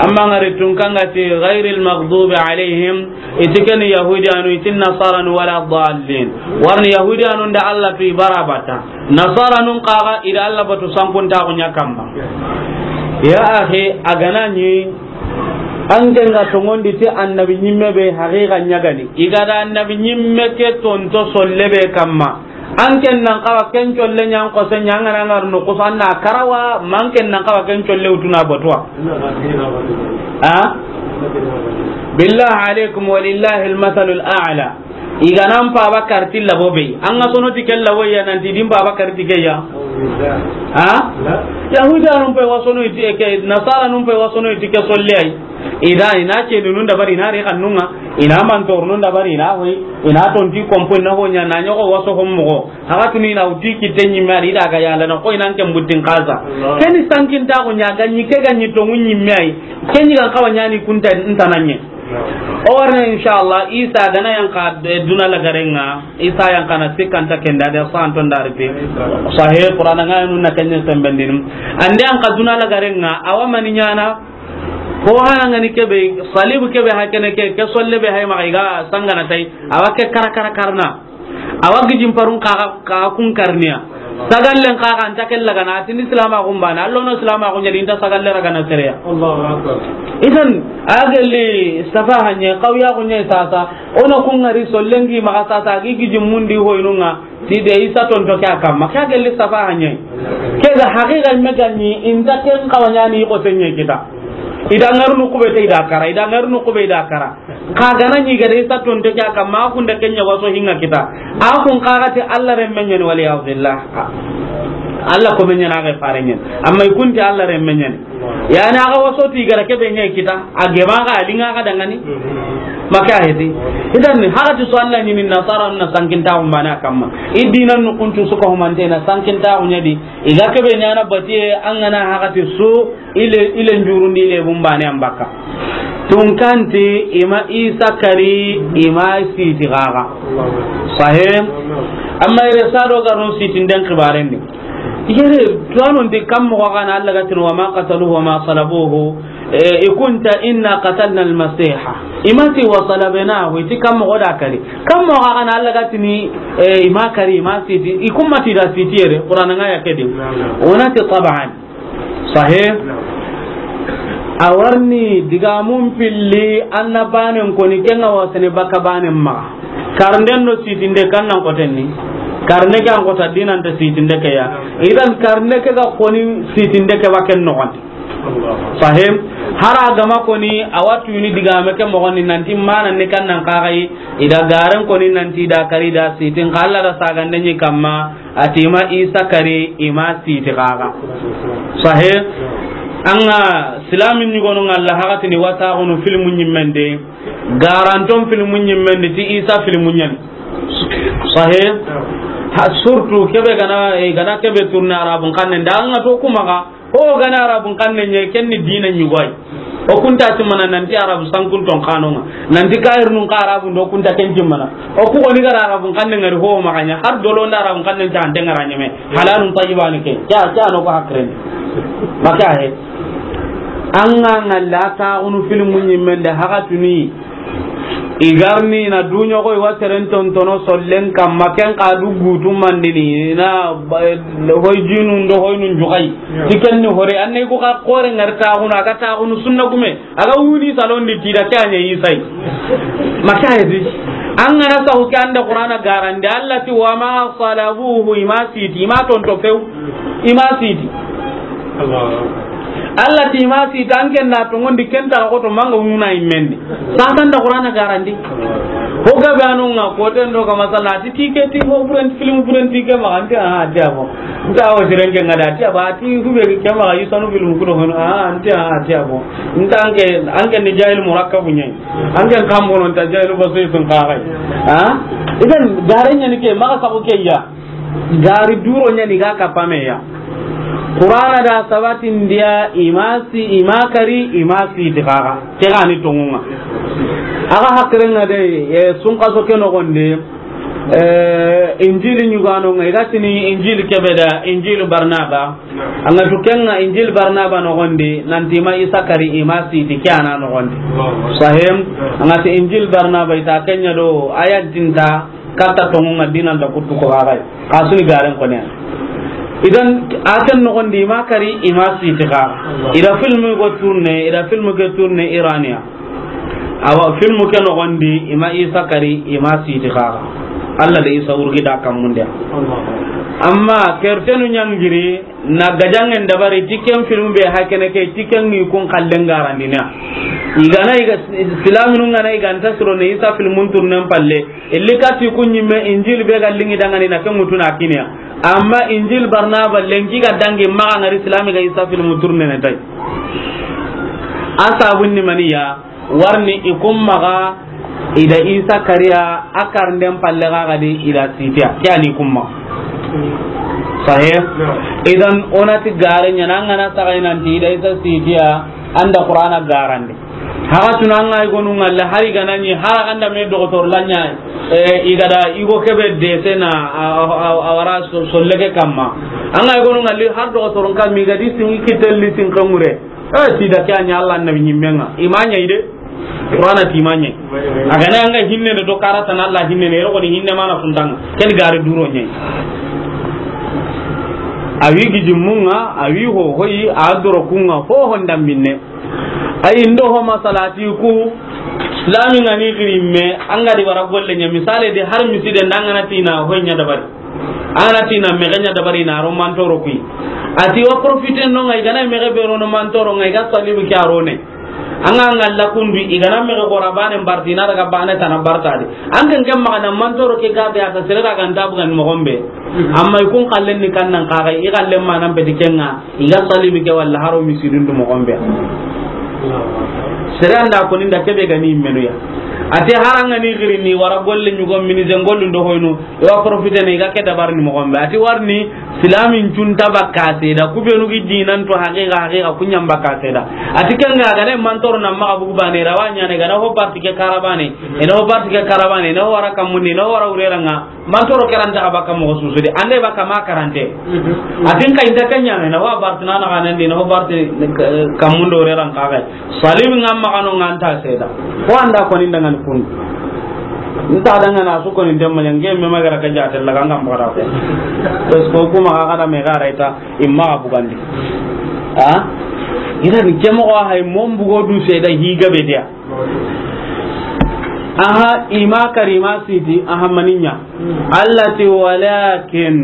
Amma ngari tun kanga ti ghairil maghdubi alaihim, iti keni yahudi anu, iti nasara nu wala dallin. Warni yahudi anu nda Allah tu ibara bata. Nasara nun kaga ida Allah batu sankun tagu nya kamma. Ya akhi, aganani, an ke nga tongondi ti annabi nyimme be haqiqa nyagani. Igada annabi nyimme ke tonto solle be kamma. An ken nan kawa ken colle ɲan kose ɲangana ngar no kusa na karawa, man ken nan kawa ken colle utuna batuwa. Ha? Billahi alaikum walillahi almathalul a'la. Iganan pa bakar tilla bobe. An ga sono ti kella woya nan ti din pa bakar ti keya. Ha? Yahuda nun pe wasono iti ke, nasara nun pe wasono iti ke solle ay. Ida ina ce nun da bari na re kannunga, ina mantor nun da bari na hoy, ina tonti kompo na ho nya na nyoko waso hommo. Haga tuni na uti kite ɲimme ari da ga yala na koy nan ken buttin kaza. Allah. Keni sankin ta ko ɲa ga ɲi ke ga ɲi to ŋu ɲimme ay. Keni ga kawa ɲani kunta ntananye. O warne, inshallah, Isa gana yanqa, eh, duna lagarenga, Isa yanqa na sikkanta kenda de santon darite. Sahih, Qur'ana nga nu na kenya sembendin. Ande yanqa duna lagarenga, awa mani nyana, ko hana ngani kebe, salibu kebe hakene ke, ke solle be hay ma ga sangana tay, awa ke kara kara karna. Awa gijin parun kaga, kaga kun karniya. Sagallen kaga anta ken lagana, atini silama gumbana, allo no silama gunya dinta sagalle ragana sereya. Allahu Akbar. Idan, a gelli safa hanye, kawya gunya sasa, ona kun ngari sollengi maga sasa, gi gijin mundi hoynunga, ti de Isa tonto ke akamma, ke gelli safa hanye. Ke ga haqiqa me gani, inta ken kawanya ni ko senye kita. Ida ngarnu kube te ida kara, ida ngarnu kube ida kara. Ka gana ni gare sa tonte ke akamma, kun da kenya waso hinga kita. A kun kaga te Allah remmenyen wali billah. Allah ko menyen aga farenyen. Amma ikunti Allah remmenyen. Yani aga waso ti gara ke benye kita. A gema ga linga ga dangani. Maka hedi. Idan ni haga ti so Allah ni nasara na sankinta umbana kamma. Idinan nu kuntu suka humante na sankinta unyadi. Iga kebe nyana batiye an gana hagati su ile, ile njurundi ile bumbane ambaka. Tunkanti ima Isa kari ima siti gaga. Sahih. Amma ire sado garun siti nden kibarendi. Yere tuwano ndi kam mo gana Allah gatin wa ma qataluhu wa ma salabuhu. E, ikunta inna qatalna al-Masiha. Imati wa salabnahu, iti kam mo da kari. Kam mo gana Allah gatini, e, ima kari, ima siti. Ikumati da siti yere, Qur'an nga ya kedi. Onati taban. Sahih. Awarni diga mun pilli anna banen koni kenga wasane baka banen ma. Karnden do sitinde kannan kotenni. Karne ke an kota dinan ta sitinde ke ya. Idan karne ke ga koni sitinde ke waken no. Sahih. Hara gama koni awatu ni digame ke mogoni nanti mana ne kannan kagai ida garen koni nanti da kari da sitin kala da sagande ni kamma atima Isa kari ima siti kaga. Sahih. Anga silamin ni gonu ngalla hagati ni wata gonu filmu nyimmende garanton filmu nyimmende ti Isa filmu nyen. Sahih. Ha, surtout kebe gana, eh, gana kebe tourner arabun kanne nda anga to kuma ga. Ho gana arabun kanne nye kenni dina nyugoi. O kunta ti mana nanti arabu sankun ton kanonga. Nanti kair nun ka arabu ndo kunta ken ti mana. O ku oni gara arabun kanne ngari ho maganya. Har dolo nda arabun kanne ta ande ngara nyeme. Halalun tayyibani ke. Kya, kya no ko hakren. Maka he. Anga ngalla ta unu filmu nyimmende hagatuni. Igarni na duñoxo i wa seren tontono sollen kamma ken xa du gutu mandini na hoy jinu ndo hoy nun juxay. Ti ken ni hore anne ku xa xore ngar taxunu a ga taxunu sunna gume a ga wuni salondi tida ke a ñe Isay. Maka hedi an gana saxu ke anda Qur'ana garandi Allah ti wa ma salabuhu i ma siti i ma tonto few. I ma siti. Allah ti ma siti an ken da tongondi ken ta ko to manga wuna immendi. Sasa nda Qur'ana garandi. Ho gabe anu nga ko ten do ga masala ti tike ti ho buren film buren tike ma anti a ti abo. Nta o siren ke ngada ti aba ti hube ke ma yi sanu film ku do hono a anti a ti abo. Nta anke anke ni jahil murakkabu ñi. Anke kambono ta jahil basay sun ka gai. Ha? Idan garanya ni ke ma ka ko ke ya. Gari duro ñani ga kapame ya. Qur'ana da sabatin dia imasi imakari imasi dixaxa ke gani tongunga. Aga hakirenga de e, sunkaso ke noxondi e, injili ñuganonga igatini injili kebeda injili barnaba. Anga tukenga injili barnaba noxondi nanti ima isa kari imasi di ke ana noxondi. Sahim. Anga ti injili barnaba ita kenya do ayat dinta. Katta tongu nga dinan da kuttu ko gagai. Asuni garen ko ne. Idan akan no gondi ma kari ima siti ga. Ida film go tourner ida film go tourner irania. Awa film ke no gondi ima isa kari ima siti ga. Allah da isa urgi da kamunde. Amma kertenu ñangiri na gajangen dabari ti ken film be hakene ke ti ken ngi kun kallen garandina. Igana iga silaminu ngana iganta siro ne isa filmun turnen palle. Illi kati kun ñimme injil be ga lingi dangani na ken mutuna kiniya. Amma injil barnaba lenki ga dangi maga ngari silami ga isa filmun turnen ne tay. Asabun ni maniya. Warni i kun maxa ida isa kariya a karnden palle ga gadi ida sitiya ke ani kun maxa. Sahe. Idan onati gare ñana an gana saxay nanti ida isa sitiya anda qur'ana garande. Haga tuna an ga i gonu ŋalla, hari ga na ɲi, hari ga nda me dogotor la ɲa, eh, i ga da i go kebe de sena, a, a, a, a wara so, so lege kamma. An ga i gonu ŋalli, har dogotoron kammi ga di sin i kitelli sin kamure. Eh, ti da ke a ɲa Allah annabi ɲimmenga. I ma ɲa i de. Qur'ana ti ma ɲa. A ga na an ga hinne do karata na Allah hinne ne, ro ni hinne mana fundanga. Ken gari duro ɲa. A wi gi jimmunga, a wi ho hoyi, a doro kunga, ho honda minne. Ay, ndo ho masalati ku, Islami ngani xiri me, an ga di wara golle ɲa, misale de har miside nda an ga na tina ho ɲa dabari. An ga na tina mexe ɲa dabari na ro mantoro kui. A ti wa profite no ngai gana mexe be ro no mantoro ngai ga salibu ki a ro ne. An ga ngalla kundu i gana mexe gora bane barti na daga bane tana barta de. An ga ngem maxa na mantoro ke ga be a ta sere daga nda bugan mo gombe. Amma i kun xallen ni kan nan xa ga i xallen ma nan be di kenga. I ga salibi ke walla haro misidun du moxon be. Sere anda ko ninda kebe gani menu ya. Ate haranga ni giri ni wara golle ɲugo mini zengollu ndo hoyno. I wa profite ne i ga ke dabar ni moxon be. Ati warni silamin junta bakka seda. Kubenu gi dinan to haqiqa, haqiqa kunyam bakka seda. Ati kanga gane mantor na maxa bugu bane rawanya ne gana ho parti ke karabane. Ina ho parti ke karabane, ina ho wara kamundi, ina ho wara ureranga. Mantoro karanta ka baka moxo susudi, ande baka ma karante. Atin ka inta kanya na wa bartu na na kanandi na ho bartu kamundo re ran ka ga. Salim ngam ma kanu nganta seda. Ko anda ko ni dangan kun. Nta dangan asu ko ni demma nge me magara ka jate la ngam bara ko. Parce que kuma ka kada me gara ita imma bugandi. Ha? Ina ni kemo ko hay mom bugo du seda higa be dia. Aha, ima karima siti, aha maninya. Allah ti walakin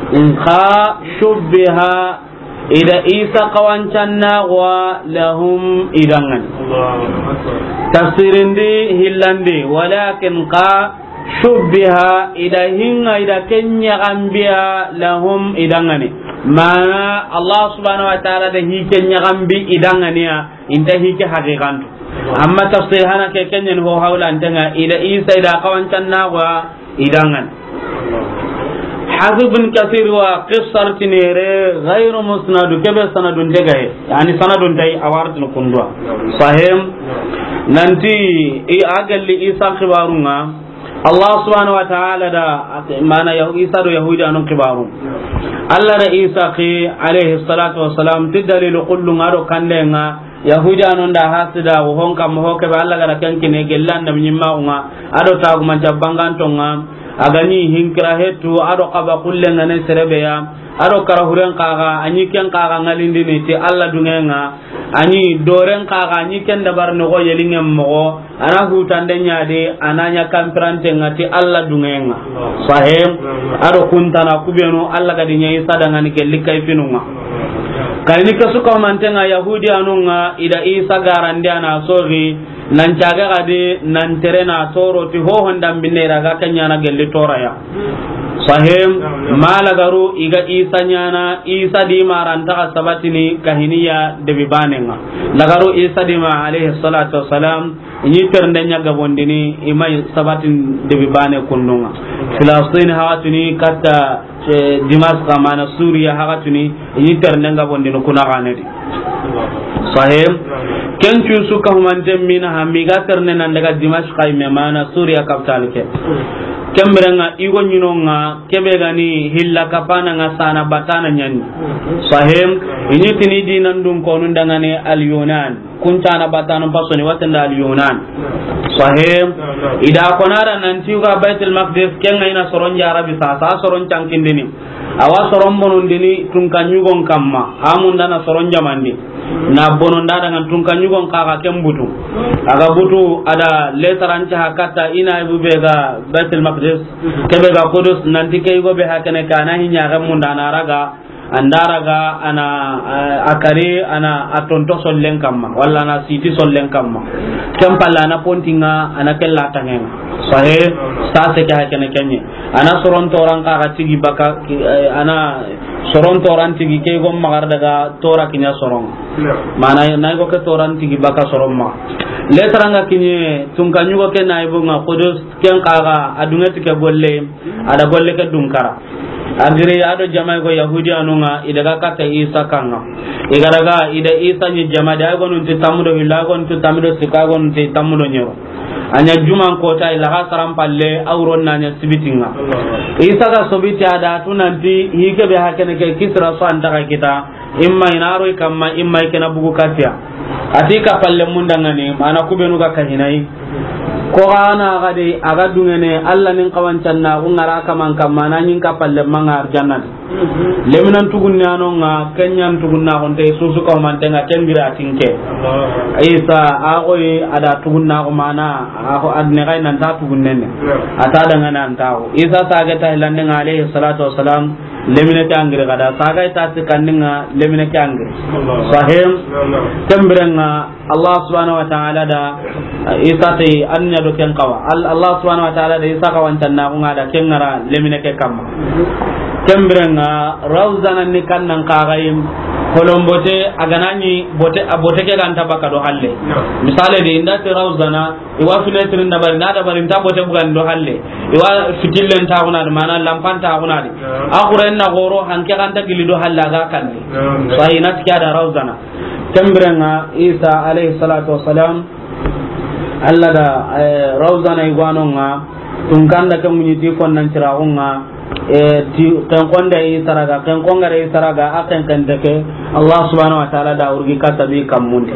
nka shubbiha ida Isa kawancanna wa lahum idangan. Tafsirindi hillandi, walakin ka shubbiha ida hinga ida kenya gambiya lahum idangani. Mana Allah subhanahu wa ta'ala da hi kenya gambi idangani ya. Inta hike haqiqantu. Amma tafsir hana ke kenyen ho hawla antenga ida Isa ida kawancanna wa idangan. Hafiz bin Kathir wa qissar tinere ghayru musnadu kebe sanadun degaye. Yani sanadun tay awartin kundwa. Sahim. Nanti i agalli Isa khibarunga. Allah subhanahu wa ta'ala da mana Yahu-, Isa do Yahudi anun kibaru. Allah da Isa ki alayhi salatu wassalam ti dalilu kullu ngado kandenga Yahudi anun da hasida wo hon kam ho ke ba Allah gara kan kine gellan da nyimma nga ado tagu man jabbangan tonga agani hinkira hetu ado kaba kullenga ne serebeya. Ado kara huren kaga, anyi ken kaga ngalindini ti Allah dungenga, anyi doren kaga, anyi ken dabar nogo yelingen mogo, ana hutande nyadi, ana nya kampirante nga ti Allah dungenga. Sahim, ado kuntana kubenu, Allah gadi nya Isa dangani gelli kayfinunga. Kayni kasuka mantenga Yahudi anunga, ida Isa garandi ana sogi, Nan caga gadi, nan tere na toro ti ho honda mbinne raga kenya na gelli toraya. Sahim, ma lagaru iga Isa nyana, Isa di maranta ka sabatini kahiniya debi banenga. Lagaru Isa di ma alayhi salatu wassalam, inyi ternde nya gabondini, imai sabatin debi bane kundunga. Filastin hawatuni kata Eh, Dimaska mana Suriya hakatuni, ini ternde nga bondini kuna ganedi. Sahim. Ken cun su ka humante mina ha, miga ternde nan daga Dimaska ime mana Suriya capital ke. Kemberenga igo nyinonga kebe gani hilla kapana nga sana batana nyani. Sahim. Ini tini dinan dun konun dangane al Yunan. Kuncana batanu pasoni watanda al Yunan. Sahim. Ida konara nanti ga Baitul Maqdis kenga ina soron jarabi sa, sa soron cankindini. Awa soron bonondini tunka nyugon kamma. Amundana soron jamandi. Na bononda dangan tunka nyugon kaga ken butu. Aga butu ada letaran ca hakata ina ibu bega Baitul Maqdis. Kebe ga Qudus nanti ke igo be hakene kana hinya ga mundana raga. Andaraga ana, eh, akari ana atonto sollen kamma wala ana siti sollen kamma. Kempalla ana pontinga ana kella tangenga. Sahe, sase ke hakene kenye. Ana soron toran kaga tigi baka, eh, ana soron toran tigi ke gom magar daga tora kinya soron. Mana na go ke toran tigi baka soron ma. Letaranga kinye tunka nyugo ke na ibunga Qudus ken kaga adunga tike golle. Ada golle ke dunkara. A giri a do jama ko Yahudiyanun ŋa, i daga katta Isa kanŋa. I ga daga, i da Isa ɲi jama di, a gonun ti tammu do hillo, a gonun ti tammu do sikko, a gonun ti tammu do ɲeru. A ɲa juman kota, i laxa saran palle, a wuron na ɲa sibitin ŋa. Isa ga sobiti a da tu nanti, hi ke be hakene ke Kisra so an ta ga kita, imma i na ro i kamma, imma i ke na bugu katiya. A ti ka palle mun da ŋa ni, mana ku benu ga ka hinayi. Ko ga na ga de, a ga duŋene, Alla nin xawancannaxu ŋa ra kaman kamma, na ɲin ka palle ma ŋa arjanna di. Leminan tugunne a no ŋa, ken ɲan tugunnaxunte, susu ka humanten ŋa, ken bire a ti n ke. Isa, a xoyi, a da tugunnaxu mana, a xo, a dine xayi nan ta tugunnen ne. A ta daŋa nan ta xo. Isa sage ta hilanden ŋa, alayhi salatu wassalam, lemine ke a giri ga da. Sage ta sikkandin ŋa, lemine ke a giri. Sahim, ken biren ŋa, Allah subhanahu wa ta'ala da Isa ti an ɲa do ken xawa. Al-, Allah subhanahu wa ta'ala da Isa xawancannaxu ŋa da ken ŋa ra lemine ke kamma. Ken biren ŋa Rawzana ni kannan kaxayi, holon bote, a ga na ɲi bote, a bote ke ga nta baka do halle. Misale de, i nda ti Rawzana, i wa fenêtre n dabari, na dabari nta bote bugan do halle. I wa fitillen taxuna di, mana lampan taxuna di. A xuren na goro, hanke ga nta gili do halle, a ga kalli. Sahi, na ti ke a da Rawzana. Ken biren ŋa Isa alayhi salatu wassalam, Alla da, eh, Rawzana i gwanon ŋa, tunkanda ke muɲi ti konnan ciraxun ŋa, eh, ti, ken konde Isa ra ga, ken kongare Isa ra ga, a ken ken te ke, Allah subhanahu wa ta'ala da wurgi katta bi kammun di.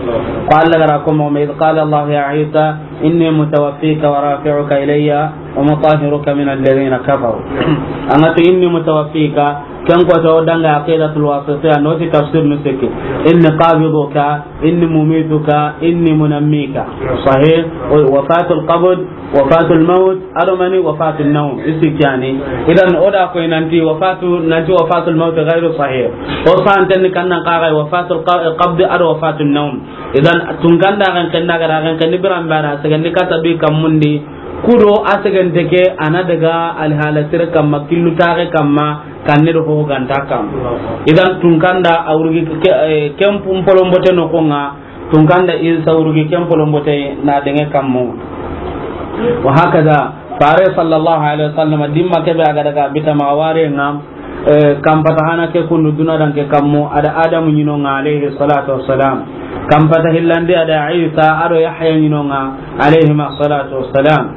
Ko Alla ga ra ko mo me, "Idh qala Allah ya Isa, inni mutawaffika wa rafi'uka ilayya wa mutahhiruka min alladhina kafaru." An ga ti, "Inni mutawaffika," ken ko to danga Aqidatul Wasitiyya, no ti tafsir nu siki. "Inni qabiduka, inni mumituka, inni munammika." Sahih. Wafatul qabd, wafatul maut, a do mani wafatul nawm. Isi ke yani. Idan o da ko nanti wafatu, nanti wafatul maut ghairu sahih. O santen ni kannan kaxayi wafatul qa-, qabd a do wafatul nawm. Idan tunkanda kan kenna ga da kan kenni biran bara, segen ni katta bi kammun di. Kudo a segente ke, a na daga alhala sire kamma, killu taxe kamma, kanne do ho ganta kam. Idan tunkanda a wurgi ke, eh, ken pum polombote no ko ŋa, tunkanda Isa wurgi ken polombote na denge kammo. Wa hakada, fare sallallahu alaihi wasallam, dimma kebe a ga daga bita ma ware ŋa, eh, kampata hana ke kundu duna dan ke kammo, a da Adamu ɲino ŋa, alayhi salatu wassalam. Kampata hillandi a da Isa, a do Yahya ɲino ŋa, alayhima salatu wassalam.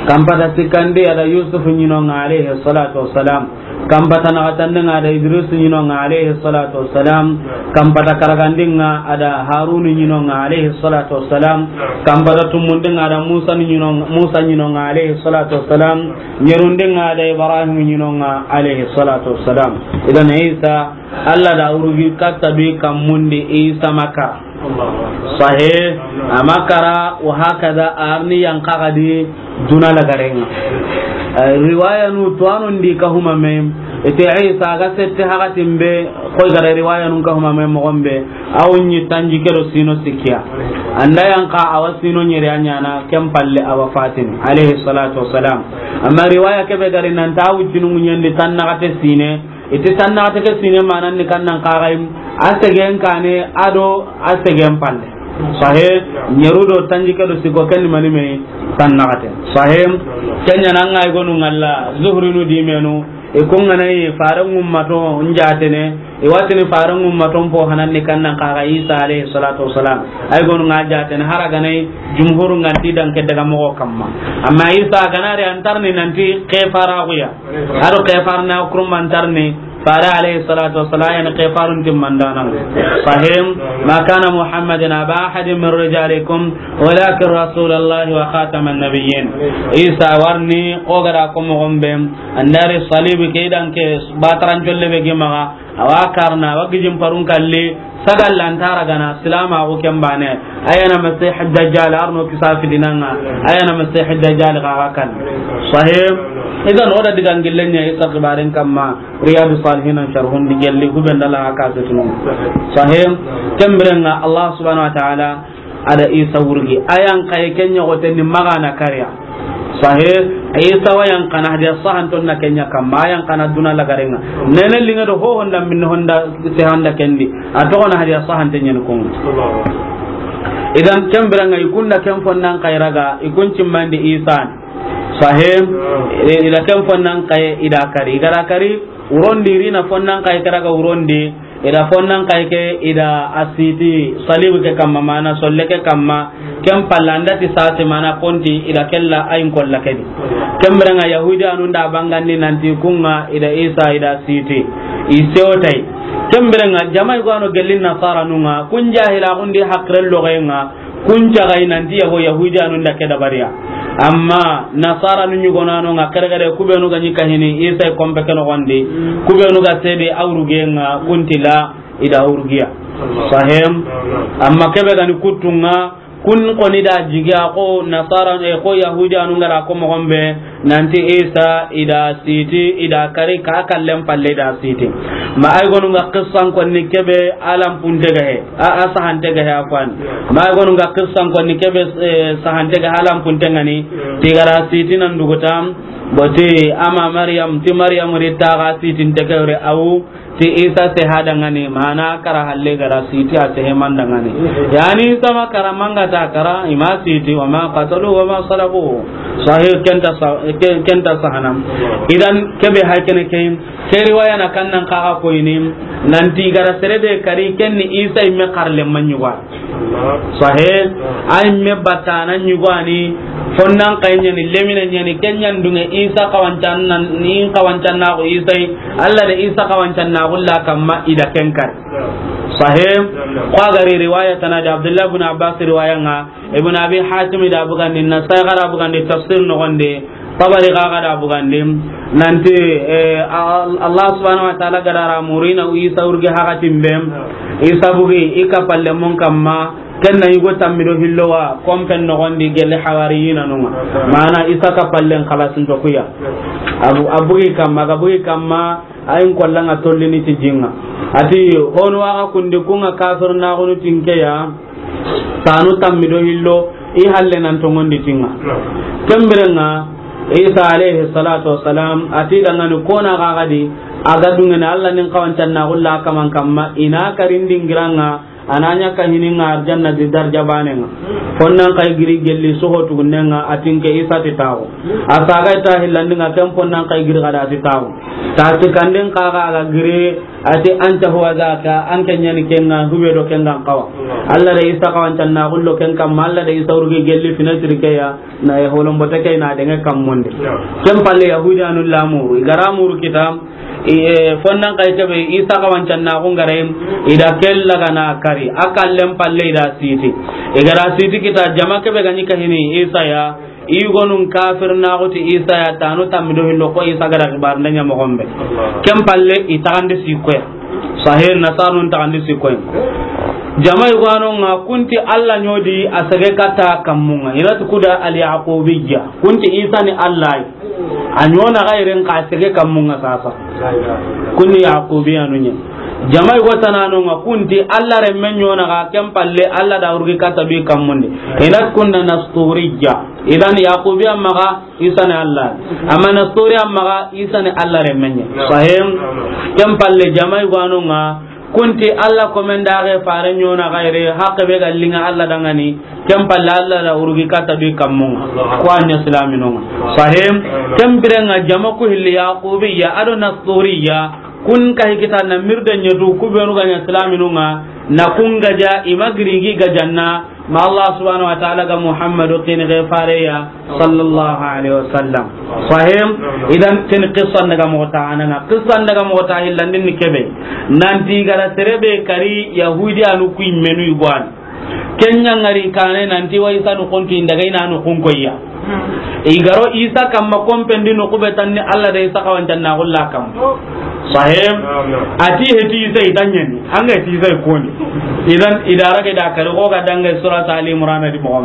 Kampata sikkandi a da Yusuf ɲino ŋa, alayhi salatu wassalam. Kampata naxatandi ŋa a da Idris ɲino ŋa, alayhi salatu wassalam. Kampata karagandi ŋa a da Harun ɲino ŋa, alayhi salatu wassalam. Kampata tumundi ŋa a da Musa ɲino, Musa ɲino ŋa, alayhi salatu wassalam. Ɲerundi ŋa a da Ibrahim ɲino ŋa, alayhi salatu wassalam. Idan Isa, Alla da wurgi katta bi kammun di Isa ma kara. Sahe, a ma kara, wa hakada, a ri ni yanqa ga di duna lagaren ŋa. Eh, riwaya nu tuwanon di ka huma me, ite Isa ga sette hakatin be, koy ga da riwaya nun ka huma me moxon be, a wu ɲi tanjikke do sino sikkiya. An da yanqa a wa sino ɲeri a ɲaana, ken palle a wa fatini, alayhi salatu wassalam. Amma riwaya kebe ga ri nan ti a wu jinu ɲendi tan naxate sine, iti tan naxate ke sine manan ni kannan kaxayi, a segen kane a do a segen palle. Sahe, ɲeru do tanjikke do sikko ken ni mani me tan naxate. Sahe, ken ɲa na an ga i gonu ŋalla, Zuhri nu di menu, i ku ŋa na yi faren ŋummato n jaatene, i wa tini faren ŋummato n po hanan ni kannan kaxa Isa alayhi salatu wassalam. Ay gonu ŋa jaatene, hara ga na yi jumhuru ŋa ti dan ke daga moxo kamma. Amma Isa ga na ri an tarni nanti ke fara xuya. A do ke farna kurman tarni, fare alayhi salatu wassalam, yani ke farun timmandanan. Sahim, ma kana Muhammadin aba ahadin min rijalikum, walakin rasulallahi wa khataman nabiyyin. Isa warni, o ga da ko moxon be, an da ri salibi ke dan ke bataran jolle be gimaga, a wa karna, a wa gijin parun kalli, sagal lantara gana, silama ko ken bane. Ayana Masih Dajjal, arno kisa fidinanga. Ayana Masih Dajjal ga ga kan. Sahih. Idan o da digan gillen ɲa Isa xibaren kamma, Riyadu Salihin an sharhun di gelli, huben dala ga ka setunu. Sahih. Ken biren ŋa Allah subhanahu wa ta'ala, a da Isa wurgi. Ayan kay ken ɲa goten ni magana kariya. Sahe, Isa wa yan kana hadiya sahanton na ken ɲa kamma, yan kana duna lagaren ŋa. Nene linga do ho honda min honda se handa kendi. A to na hadiya sahante ɲen kun. Idan ken biren ŋa i kun da ken fonnan kayraga, i kun cimmandi Isa. Sahih. I da ken fonnan kaye, i da kari. I ga da kari, wurondi, i ri na fonnan kaye ke raga wurondi, i da fonnan kaye ke, i da a siti salibu ke kamma, mana solle ke kamma, ken palla an da ti sase mana konti, i da kella ayin kolla ke di. Ken biren ŋa Yahudiyanun da bangandi nanti kun ŋa, i da Isa, i da siti. I sewtai. Ken biren ŋa jama i gano gellin Nasaranun ŋa, kun jahila kun di hakiren logen ŋa, kun caga i nanti yago Yahudiyanun da ke dabariya. Amma Nasaranun ɲugonano ŋa kere kere, ku benu ga ɲi kahini Isa i kompe ke nogondi, ku benu ga sede awruge ŋa, kun ti la i da awrugiya. Sahih. Amma kebe ga ni kuttu ŋa, kun koni da jigiya ko Nasara, e, ko Yahudiyanun ga da ko mogon be, nanti Isa i da siti, i da kari ka kallen palle i da siti. Ma ay gonu ga qissan konni kebe alam punte ga he, a, a sahante ga he afwan. Ma ay gonu ga qissan konni kebe, e, sahante ga he alam punte ŋa ni, ti i ga da siti nan dugutam, boti ama Maryam, ti Maryam ri ta ga siti nte ke wure awu, ti Isa sehe a da ŋa ni, mana kara halle ga da siti a sehe man da ŋa ni. Yani Isa ma kara manga ta kara, i ma siti, wa ma qatalu wa ma salabu. Sahih, ken ta sa-, ken, ken ta sahanam. Idan kebe hay kene ke, ke riwaya na kannan kaga ko ini, nanti i ga da sere be kari ken ni Isa i me karle manyuwa. Sahih. Ay me batana ɲugani, fonnan kay ɲani, lemine ɲani, ken ɲan dunge Isa kawancan nan, ni kawancan na ko Isa yi, Allah da Isa kawancan na ko la kamma i da ken kar. Sahih. Ko a gari riwaya tana da Abdullah ibn Abbas riwaya ŋa, Ibn Abi Hatim da bugandi, Nasai ga da bugandi tafsir nogonde, Tabari ga ga da bugandi, nanti, eh, Al-, Allah subhanahu wa ta'ala ga da ra murina Isa urge hakatin bem, Isa bugi, i ka palle mon kamma, ken na yugo tammi do hillo wa, kompen nogondi gelle hawariyina nunga. Mana Isa ka pallen kalasin to kuya. Abu, abugi kamma, ga bugi kamma, ayin kollanga tollini ti jinga. Ati, honu waga kundi kunga kafir na gonu tinkeya, tanu tammi do hillo, i halle nan tongondi tinga. Kembirenga, Isa alayhi salatu wassalam, ati dangani kona gagadi, aga dungene Allah nin kawancan na gulla kaman kamma, ina karindin giranga, ananya ka hininga arjanna di darja banenga. Fonnan kay giri gelli soho tugunenga, atinke Isa ti tawo. Asaga ita hillandinga ken fonnan kay giri gada ti tawo. Ta ti kanden kaga aga giri, ati anta huwa zaka, an ke ɲani kenga, hube do kenga kawa. Allah da Isa kawancan na gullo ken kamma, Allah da Isa urgi gelli fina tirkeya, na e holombote ke na denge kammonde. Ken palle Yahudiyanu lamuru, i ga ra muru kita, i, e, fonnan kay kebe, Isa kawancan na gungare, i da kella gana kari, akallen palle i da siti. I ga ra siti kita, jama kebe gani kahini, Isa ya, i gonun kafir na guti Isa ya tanu tammi do hillo ko Isa ga da kibar ndanya mo gombe. Ken palle i tagandi sikoya. Sahih, Nasarun tagandi sikoya. Jama i gano nga kunti Allah ɲodi a sage kata kammunga. Ina tu kuda al Yaqubiyya. Kunti Isa ni Allah. A ɲona gairen ka sage kammunga sasa. Kunni Yaqubiyanu ɲa. Jama i go tanano nga kunti Allah remme ɲona ga ken palle Allah da urgi kata bi kammunde. Ina kunda Nasturiyya. Idan Yaqubiya maga Isa ni Allah. Amma Nastoriya maga Isa ni Allah remmenye. Sahim. Ken palle jama i gano nga kunti Allah komen da ga fare ɲona gaire hakke be ga linga Allah dangani. Ken palle Allah da urgi kata bi kammunga. Ko anya islaminonga. Sahim. Ken birenga jama ku hilli Yaqubiya ado Nastoriya. Kun ka hikita na mirde ɲetu ku benu ga ɲa silaminunga na kun gaja i ma girigi gajanna ma Allah subhanahu wa ta'ala ga Muhammadu kini ge fareya sallallahu alaihi wasallam. Sahim. Idan ken qissan daga mota ananga qissan daga mota hillandin ni kebe nanti gara serebe kari Yahudiyanu ku immenu igwan. Kenya ngari kane nanti wa Isa nu kontu indaga ina nu kun koyya. Igaro Isa kamma kompendi nu kube tanni Allah da Isa kawancan na gulla kam. Sahim. Ati heti Isa itanyani. Anga heti Isa ikoni. Idan idara ke da kare ko ga danga surat Ali Imran di mo.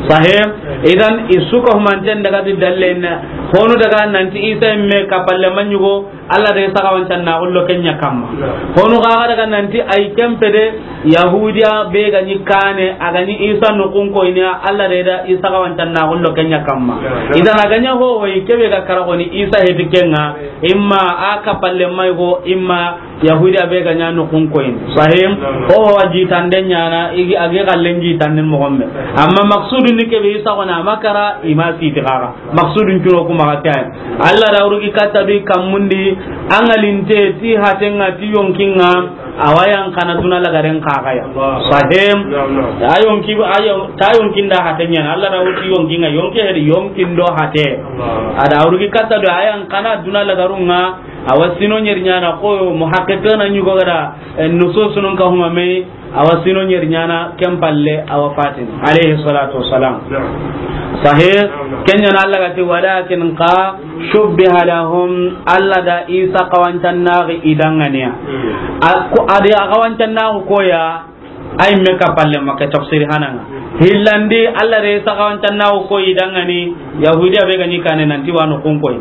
Sahim. Idan isuka humanten daga di dallen. Honu daga nanti Isa imme kapalle manyugo. Alla da Isa xawancannaxu lo ken ɲa kamma. Honu xa ga daga nanti ay ken pede, Yahudiya be ga ɲi kane, a ga ɲi Isa noxun koyini, Alla da Isa xawancannaxu lo ken ɲa kamma. Idan a ga ɲa ho hoyi, kebe ga kara xoni Isa heti ken ŋa, imma a kapalle may go, imma Yahudiya be ga ɲa noxun koyini. Sahim? Ho wa jitande ɲana, igi, a gi xallen jitanden moxo be. Amma maksudu ni kebe Isa xona, a ma kara, i ma siti xaxa. Maksudun cuno kuma ga kay. Alla da wurugi katta du i kammun di, an ŋa linte ti haten ŋa ti yonkin ŋa, a wa yan kana duna lagaren xaxa ya. Sahim. Ta yonki, a yo-, ta yonkin da haten ɲana. Alla da wurugi yonkin ŋa, yonki hedi yonkin do hate. A da wurugi katta du a yan kana duna lagarun ŋa, a wa sino ɲeri ɲana ko muhaqqiqina ɲugo ga da, eh, nususunun ka huma me, a wa sino ɲeri ɲana ken palle, a wa fatin, alayhi salatu wassalam. Sahih. Ken ɲana Alla ga ti, walakin xa shubbiha lahum, Alla da Isa xawancannaxu i danŋaniya. A ko, a di a xawancannaxu koya, ay me ka palle ma ke tafsiri hananga. Hillandi, Alla da Isa xawancannaxu koyi i danŋani, Yahudiya be ga ɲi kane nanti wa noxun koyi.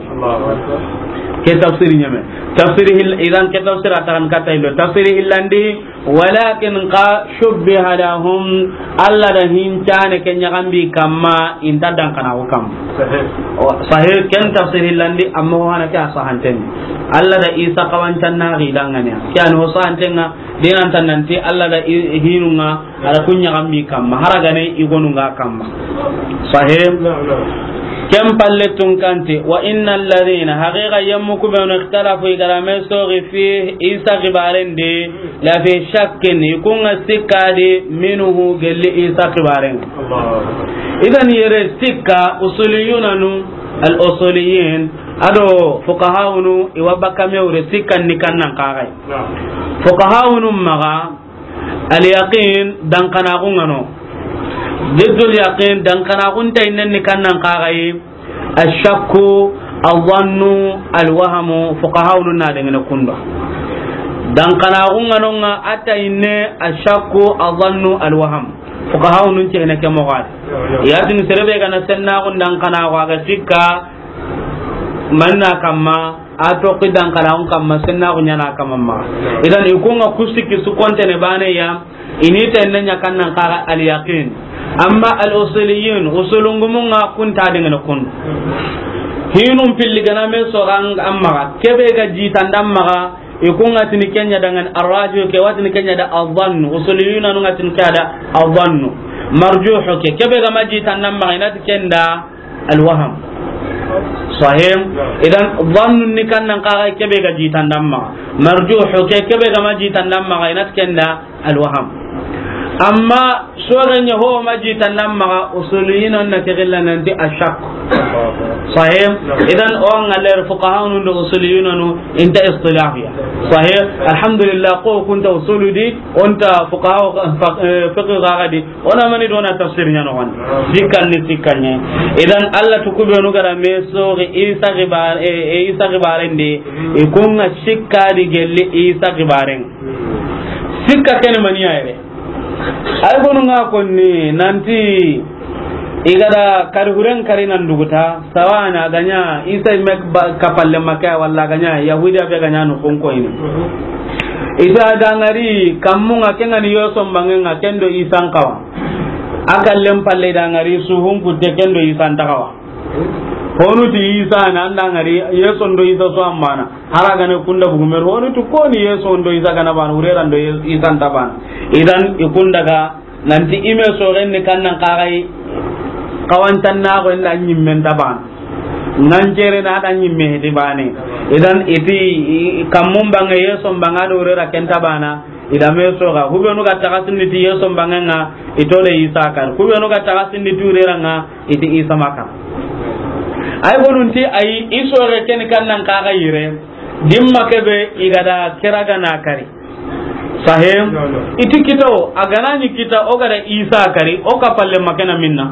Ke tafsiri ɲeme. Tafsiri hil-, idan ke tafsira taxan katta illo. Tafsiri hillandi, walakin xa shubbiha lahum, Alla da hincane ke ɲaxambi kamma, inta dankanaxu kamma. Sahih. O, sahih, ken tafsir hillandi, amma ho hana ke a sahanten. Alla da Isa xawancannaxu i danŋaniya. Ke ani ho sahanten ŋa, dinanta nanti Alla da i-, hinun ŋa, a da kun ɲaxambi kamma. Haragane i gonun ŋa kamma. Sahih. Ken palle tun kanti, wa innal ladhina, haqiqa yemmu ku benu ikhtalafu i ga da me soxi fi Isa xibaren di, la fi shakkin, i kun ŋa sikka di, minhu, gelli Isa xibaren. Idan yere sikka, usuliyunanu, al usuliyin, ado fuqahawunu, i wa bakka me wure sikkan ni kannan xaxay. Fuqahawunu maxa, al yaqin, dankanaxu ŋa no. Diddul yaqin, dankanaxun tayinnen ni kannan xaxay. Ashakku, azannu, alwahamu, fuqahawunu na dangene kunda. Dankanaxu ŋa no ŋa a tayinne, ashakku, azannu, alwaham. Fuqahawunu cehene ke moxo a di. Yatin serebe ga na sennaxun dankanaxu a ga sikka manna kamma, a toxi dankanaxun kamma, sennaxu ɲana kamma maxa. Idan i kun ŋa ku sikki su kontene bane ya, i ni tenne ɲa kannan xaxa al yaqin. Amma al usuliyin, usulungumun ŋa kun ta dangene kun. Hinun pilli ga na me soxan an maxa, kebe ga jitandan maxa, i kun ŋa tini ken ɲa dangan arraju ke, wa tini ken ɲa da azannu, usuliyunanu ŋa tini ke da azannu. Marjuhu ke, kebe ga ma jitandan maxa, i na ti ken da alwaham. Sahim. Idan, zannun ni kannan xaxa kebe ga jitandan maxa. Marjuhu ke, kebe ga ma jitandan maxa, i na ti ken da alwaham. Amma soxen ɲa ho ma jitandan maxa, usuliyina na ke gilla nanti ashak. Sahim. Idan, o ŋa leer fuqahawunu do usuliyunanu inta istilahiya. Sahih. Alhamdulillah, ko kunta usulu di, onta fuqaha, fa-, eh, fiqh ga di, ona mani dona tafsir ɲa no wan. Sikkan ni sikkan ɲa. Idan Alla tu ku benu ga da me soxi Isa xibar-, eh, eh, Isa xibaren di, i kun ŋa sikka di gelli Isa xibaren. Sikka ken mani ya yere. Ay gonu ŋa konni nanti i ga da kari huren kari nan duguta, sawana ga ɲa Isa me ba-, kapalle ma ke, walla ga ɲa Yahudiya be ga ɲa noxun koyini. Isa da ŋari kammun ŋa, ken ŋa ni Yesu bangen ŋa, ken do Isa n xawa. A kallen palle da ŋari suhun kutte, ken do Isa nta xawa. Honu ti Isa na, an da ŋari Yesu do Isa su an bana. Haragane kunda bugumer, honu ti koni Yesu do Isa ga na bana, wurera do Ye-, Isa nta bana. Idan i kunda ga nanti i me soxen ni kannan xaxay, xawancannaxu inda ɲimmen ta bana. Ŋancere na da ɲimme heti bane. Idan i ti, i, kammun bange Yesu bange do wurera ken ta bana. I da me soxa, hubenu ga taxasindi ti Yesu bangen ŋa, i to de Isa kan. Hubenu ga taxasindi ti wurera ŋa, i ti Isa ma kan. Ay gonun ti ay, i soxe ken kannan xaxa yire, dimma kebe i ga da kira ga na kari. Sahim. I ti kita o, a ga na ɲi kita, o ga da Isa kari, o kapalle ma ke na minna.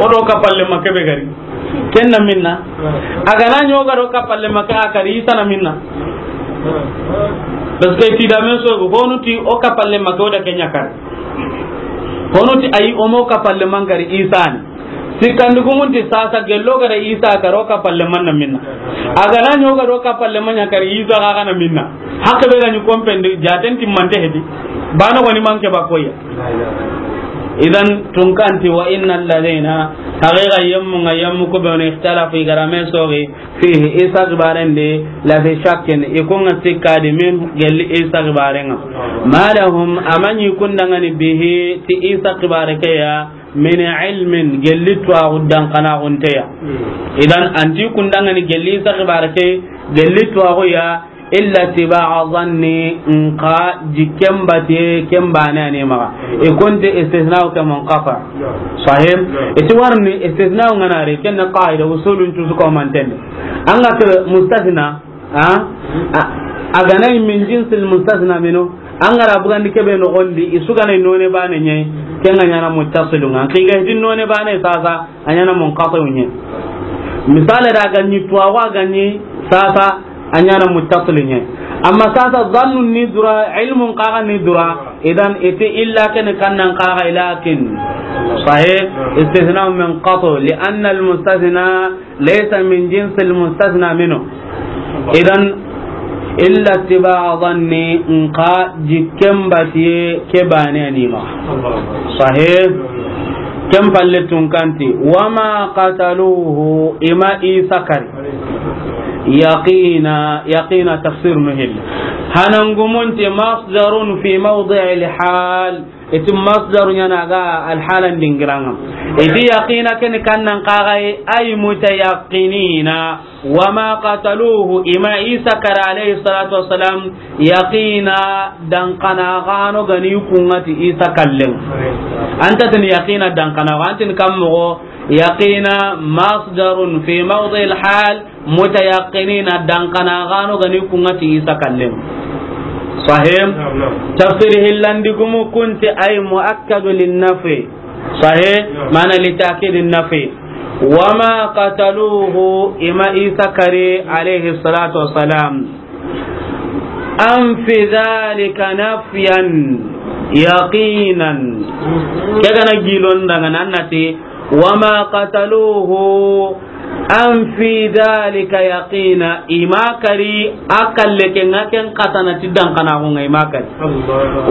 O do kapalle ma kebe gari. Ken na minna. A ga na ɲi o ga do kapalle ma ke a kari, Isa na minna. Parce que ti da me soxo, honu ti o kapalle ma ke o da ken ɲa kari. Honu ti ay, o mo kapalle ma n kari, Isa ni. Sikkandi gumun ti sasa gelli o ga da Isa kari o kappalenma na minna. A ga na ɲi o ga da o kappalenma ɲa kari Isa ga ga na minna. Hakke be ga ɲi kompen di jaten timmante hedi. Bana woni manke ba koya. Idan tunka nti wa innal ladina, haqiqa yemmu nga yemmu ku be woni ikhtalafu i ga da me soxi fihi Isa xibaren di la fi shakkin i ku nga sikka di min gelli Isa xibaren ŋa. Ma lahum a ma ɲi kundangani bihi ti Isa xibare ke ya min ilmin gelli tuwaxu dankanaxunte ya. Idan anti kundangani gelli Isa xibare ke gelli tuwaxu ya illa tiba'a zanni nka jikken batiye ken bane ani maxa. I kunti istisna'u ke munqati. Sahih. Iti warni istisna'u nga na ri ken qaida usulun cusu ko mantende. An ga tir mustasna. A, a ga na min jinsil mustasna minu. An ga ra bugandi kebe no gondi i su ga na none bane ɲe. Ken ga ɲana muttasilun nga ki ga hidin none bane sasa. A ɲana munqati'u ɲe. Misale da ga ɲi tuwaxu a ga ɲi sasa a ɲana muttasil ɲe. Amma sasa zannun ni dura, ilmun xa ga ni dura. Idan iti illa ken kannan xa ga lakin. Sahih. Istithna munqati li anna al mustasna laysa min jinsi al mustasna minhu. Idan illa tiba'a zanni nka jikken batiye ke bane ani maxa. Sahih. Ken palle tunka nti wama qataluhu i ma Isa kari. Yaqina, yaqina tafsir nu hilli. Hanangumunti masdarun fi mawdi'il hal. Iti masdaru ɲana ga alhalan dingiran ŋa. Iti yaqina ken kannan xa ga ay mutayaqinina. Wama qataluhu i ma Isa kari alayhi salatu wassalam yaqina dankanaxano ga ni ku nga ti Isa kallen. Anta tini yaqina dankanaxo antin kam moxo yaqina masdarun fi mawdi'il hal mutayaqinina dankanaxano ga ni ku nga ti Isa kallen. Sahih. Tafsir hillandi gumu kunti ay muakkadu lin nafi. Sahih. Mana li ta'kid an nafi. Wama qataluhu i ma Isa kari alayhi salatu wassalam. An fi dhalika nafyan yaqinan. Ke ga na gilon daga nan nati wama qataluhu an fi dhalika yaqina i ma kari a kalle ke nga ken katana ti dankanaxu nga i ma kari.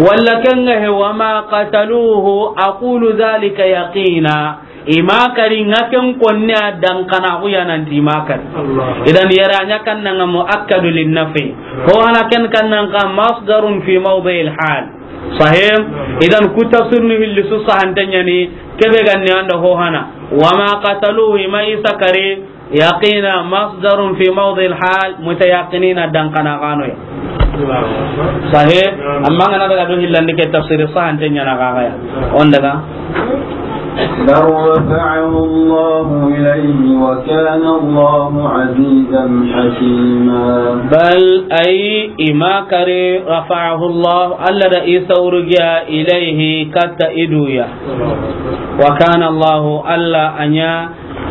Walla ken nga he wama qataluhu aqulu dhalika yaqina. I ma kari nga ken konne a dankanaxu ya nanti i ma kari. Idan yara ɲa kannanga muakkadu lin nafi. Ho hana ken kannanga masdarun fi mawdi'il hal. Sahih. Idan ku tafsir ni hilli su sahante ɲani kebe ganni anda ho hana. Wama qataluhu i ma Isa kari. Yaqina masdarun fi mawdi'il hal mutayaqinina dankanaxano ya. Sahih. Amma ngana daga do hillandi ke tafsir sahante ɲana ga ya. On daga. بل رفعه الله إليه وكان الله عزيزا حكيما. Bal ay i ma kari rafa'ahu Allah Alla da Isa urugiya ilayhi katta iduya. Wa kana Allah Alla a ɲa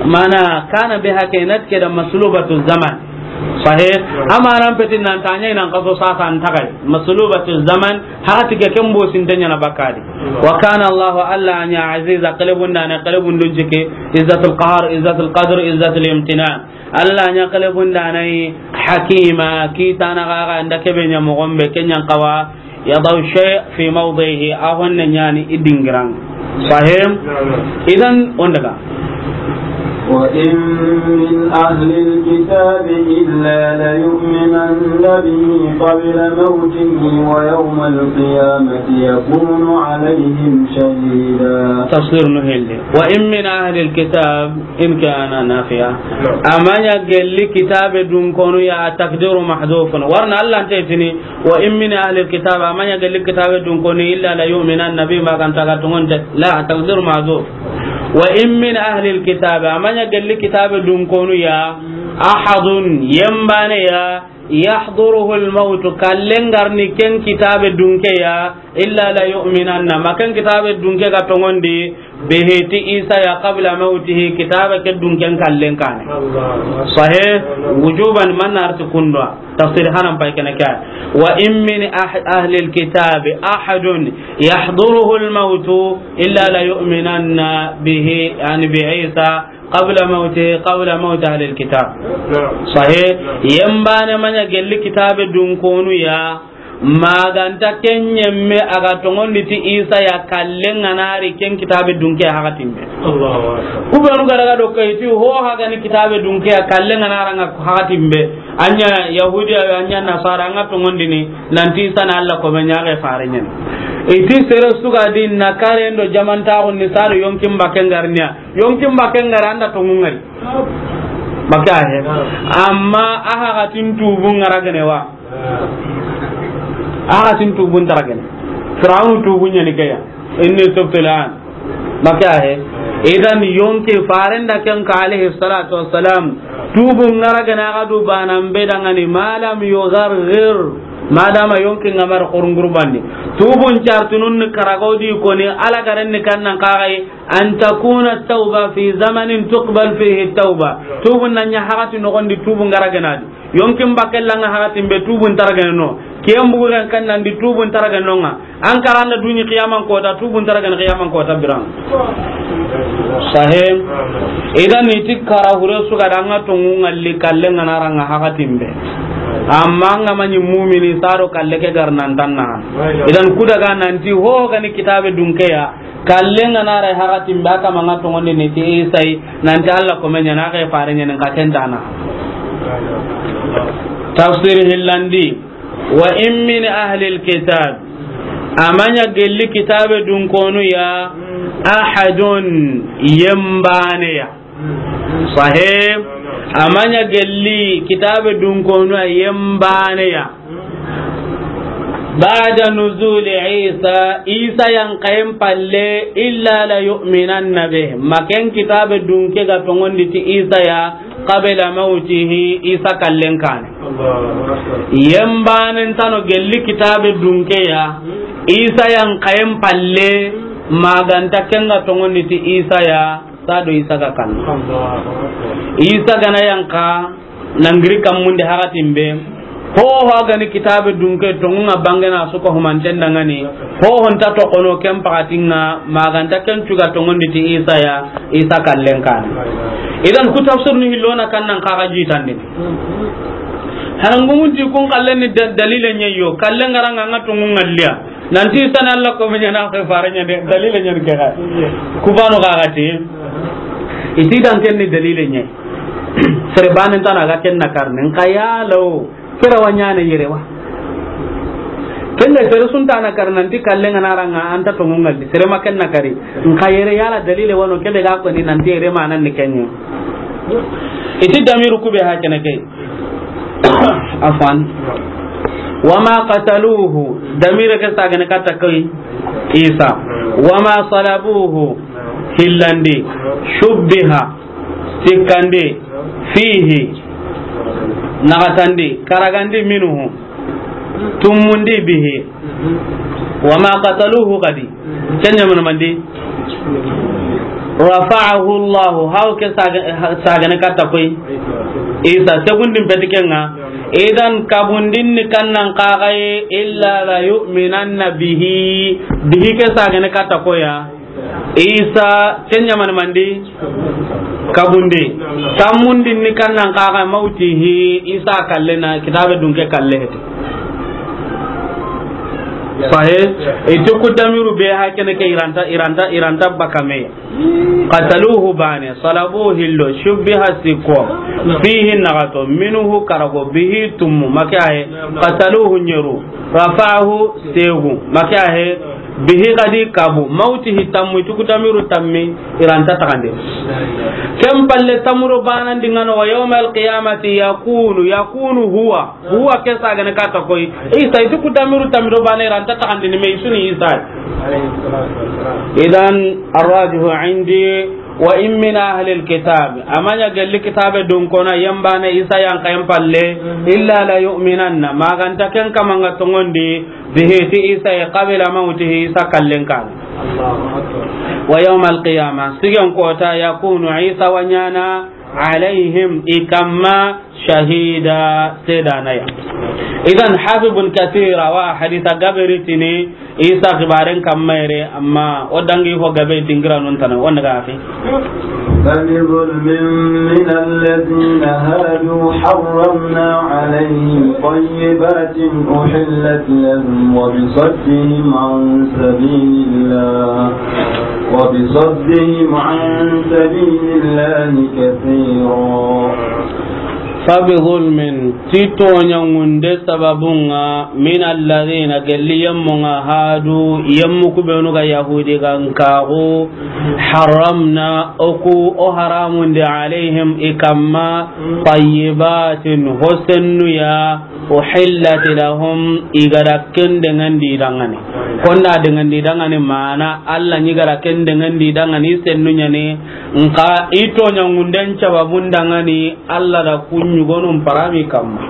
Mana kana be hake nat ke da maslubatu zaman. Sahih. Amma ran petin nan tanya nan kaso sasa an tagai. Maslubatu zaman haka tige ken bo sintanya na bakadi. Wa kana Allah Alla a ɲa aziza qalbun dana qalbun dun jike izzatul qahar izzatul qadr izzatul imtinan. Alla a ɲa qalbun dana hakima kitana gaga nda kebe ɲa mogombe kenyan kawa. يضع الشيء في موضعه, a honne ɲani i dingiran. Sahih. Idan on daga. وإن من أهل الكتاب إلا ليؤمنن به قبل موته ويوم القيامة يكون عليهم شهيدا. Tafsir no helle. وإن من أهل الكتاب إن كان نافيا. A ma ɲa gelli kitabe dunkonu ya, takdiru mahdhufun. Warna Alla nte tini, وإن من أهل الكتاب, a ma ɲa gelli kitabe dunkonu, إلا ليؤمنن به, ma kan taga tungunte. La, takdiru mahdhuf. وإن من أهل الكتاب, a ma ɲa gelli kitabe dunkonu ya, أحد, yembane ya, yahduruhu al-mawtu, kallen ga ri ken kitabe dunke ya, illa la yu'minanna, ma ken kitabe dunke ga tongondi, bihi, ti Isa ya, qabla mawtihi, kitabe ke dunken kallen kaane. Sahih, wujuban, man arti kundwa. Tafsir hanan pay kene ke. Wa in min ah-, ahli al-kitabi ahadun yahduruhu al-mawtu illa la yu'minanna bihi, yani bi Isa, qabla mawtihi, qabla mawti ahli al-kitab. Sahih. Yembane ma ɲa gelli kitabe dunkonu ya, ma ga nta ken ɲemme a ga tongondi ti Isa ya, kallen ga na ri ken kitabe dunke hakatin be. Ku be nu ga daga do kay ti ho haga ni kitabe dunke ya, kallen ga na ri ŋa hakatin be. An ɲa Yahudiya, an ɲa Nasara, an ga tongondini nanti Isa na Alla komen ɲa, a ga faare ɲa ni. I ti sere su ga di na kare ndo jamantaxun ni sado yonkin bakken ga ri ɲa. Yonkin bakken ga ri an da tongun ga ri. Baka he. Amma a hakatin tubun ga ra gene wa. A hakatin tubun nta ra gene. Firawunu tubun ɲa ni ke ya. Inni tubtu al-an. Baka he. Idan yonki faren da ken ka alayhi salatu wassalam. Tubun ga ra gene a ga du bana be da ŋa ni ma lam yugharghir. Madama yonki ŋa ma ra xurungurbandi. Tubun cartunun ni karagodi koni Alla garen ni kannan kaxay. An takuna tawba fi zamanin tuqbal fihi tawba. Tubun na ɲa hakati noxondi tubun ga ra gene a di. Yonkin bakken la ŋa hakatin be tubun nta ra gene no. Kiyen bugu ren kan nan di tubun nta ra gene no ŋa. An karanda duni qiyaman kota, tubun nta ra gene qiyaman kota biran. Sahih. Idan i ti kara hure su ga da ŋa tongu ŋalli kallen ga na ri ŋa hakatin be. Amma an ga ma ɲi mumini sado kalle ke ga ri nan tanna. Idan ku daga nanti ho ga ni kitabe dunke ya. Kallen ga na ri hakatin be, a kama ŋa tongondini ti Isa yi, nanti Alla komen ɲa ni, a ga faare ɲa ni, ka ken dana. Tafsir hillandi, wa in min ahli al-kitab, a ma ɲa gelli kitabe dunkonu ya, ahadun, yembane ya. Sahih. A ma ɲa gelli kitabe dunkonu ya yembane ya. Ba'da nuzuli Isa, Isa yanqayen palle, illa la yu'minanna bih. Ma ken kitabe dunke ga tongondi ti Isa ya, qabla mawtihi, Isa kallen kaane. Yembanen tano gelli kitabe dunke ya, Isa yanqayen palle, ma ga nta ken ga tongondi ti Isa ya, sado Isa ga kan. Isa ga na yanqa, na giri kammunde hakatin be. Ho ho ga ni kitabe dunke tongu ŋa bangena su ko humanten da ŋa ni. Ho ho nta toxono ken pakatin ŋa, ma ga nta ken cu ga tongondi ti Isa ya, Isa kallen kaane. Idan ku tafsir ni hillo na kannan kaxa jitandini. Harangumun ti kun kallen ni da-, dalile ɲa yo. Kallen ga ra ŋa ŋa tongu ŋalliya. Nanti Isa na Alla komen ɲa ni, a ga faare ɲa ni, dalile ɲa ni ke ga. Ku banu ga ga ti. I ti dan ken ni dalile ɲa. Sere banen tana ga ken na karne. Nxa ya law. Kera wa ɲaana yere wa. Ken da sere su nta na kar nanti kallen ga na ri ŋa an ta tongu ŋalli. Sere ma ken na kari. Nxa yere yala dalile wa no ke be ga ko ni nanti yere ma nan ni ken ɲa. I ti damiru ku be ha kene ke. Afwan. Wa ma qataluhu, damire ke sagane katta koy Isa. Wa ma salabuhu, hillandi. Shubbiha, sikkandi. Fihi, naxatandi, karagandi, minhu, tumundi, bihi. Wa ma qataluhu kadi. Ken ɲa mana mandi? Rafa'ahu Allahu, haw ke saga-, sagane katta koy Isa, segundin peti ken ŋa. Idan kabundin ni kannan kaxaye, illa la yu'minanna bihi. Bihi ke sagane katta koya. Isa, ken ɲa mana mandi? Kabundi. Tammundin ni kannan kaxa mawtihi, Isa kalle na, kitabe dunke kalle hete. Sahe, i ti ku damiru be ha kene ke i ra nta, i ra nta, i ra nta bakame. Qataluhu bane, salabuhu hillo, shubbiha sikko, fihi naxato, minhu karago, bihi tummu, make ahe, qataluhu ɲeru. Rafa'ahu, segu. Make ahe, bihi kadi kabu. Mawtihi tammu, i ti ku damiru tammi, i ra nta taxandi. Ken palle tamuro banan di ŋa no, wa yawmal qiyamati yakunu, yakunu huwa. Huwa ke sagane katta koy. Isa, i ti ku damiru tammi do bane i ra nta taxandini me i su ni Isa. Idan, arrajihu indi, Wa in min ahlil kitab, a ma ɲa gelli kitabe dunkona yembane Isa yan kayen palle, illa la yu'minanna, ma ganta ken kaman ga tongondi, bihi, ti Isa, qabla mawtihi, Isa kallen kan. Wa yawmal qiyamah, sigen kota, yakunu, Isa wa ɲana, alayhim, i kamma, shahida, sedanaya. Idan, Hafiz ibn Kathir, awa hadisa gabe ri tini, Isa xibaren kamma yere, amma o dangi ho gabe dingira non tana, on daga fi. فبظلم من الذين هادوا حرمنا عليهم طيبات أحلت لهم وبصدهم عن سبيل الله، وبصدهم عن سبيل الله كثيرا. فبظلم, ti toɲangunde sababunga, من الذين, gelli yemmunga, هادوا, yemmu kubenu ga Yahudi gankaxu, حرمنا, oku, o haramundi, عليهم, i kamma, طيبات, hosennuya, أحلت لهم, i gada ken dengandi dangani. Konda dengandi dangani mana, Allah ɲi gada ken dengandi dangani sennu ɲani, nka i toɲangunden sababun dangani, Allah da kuɲugonun parami kamma.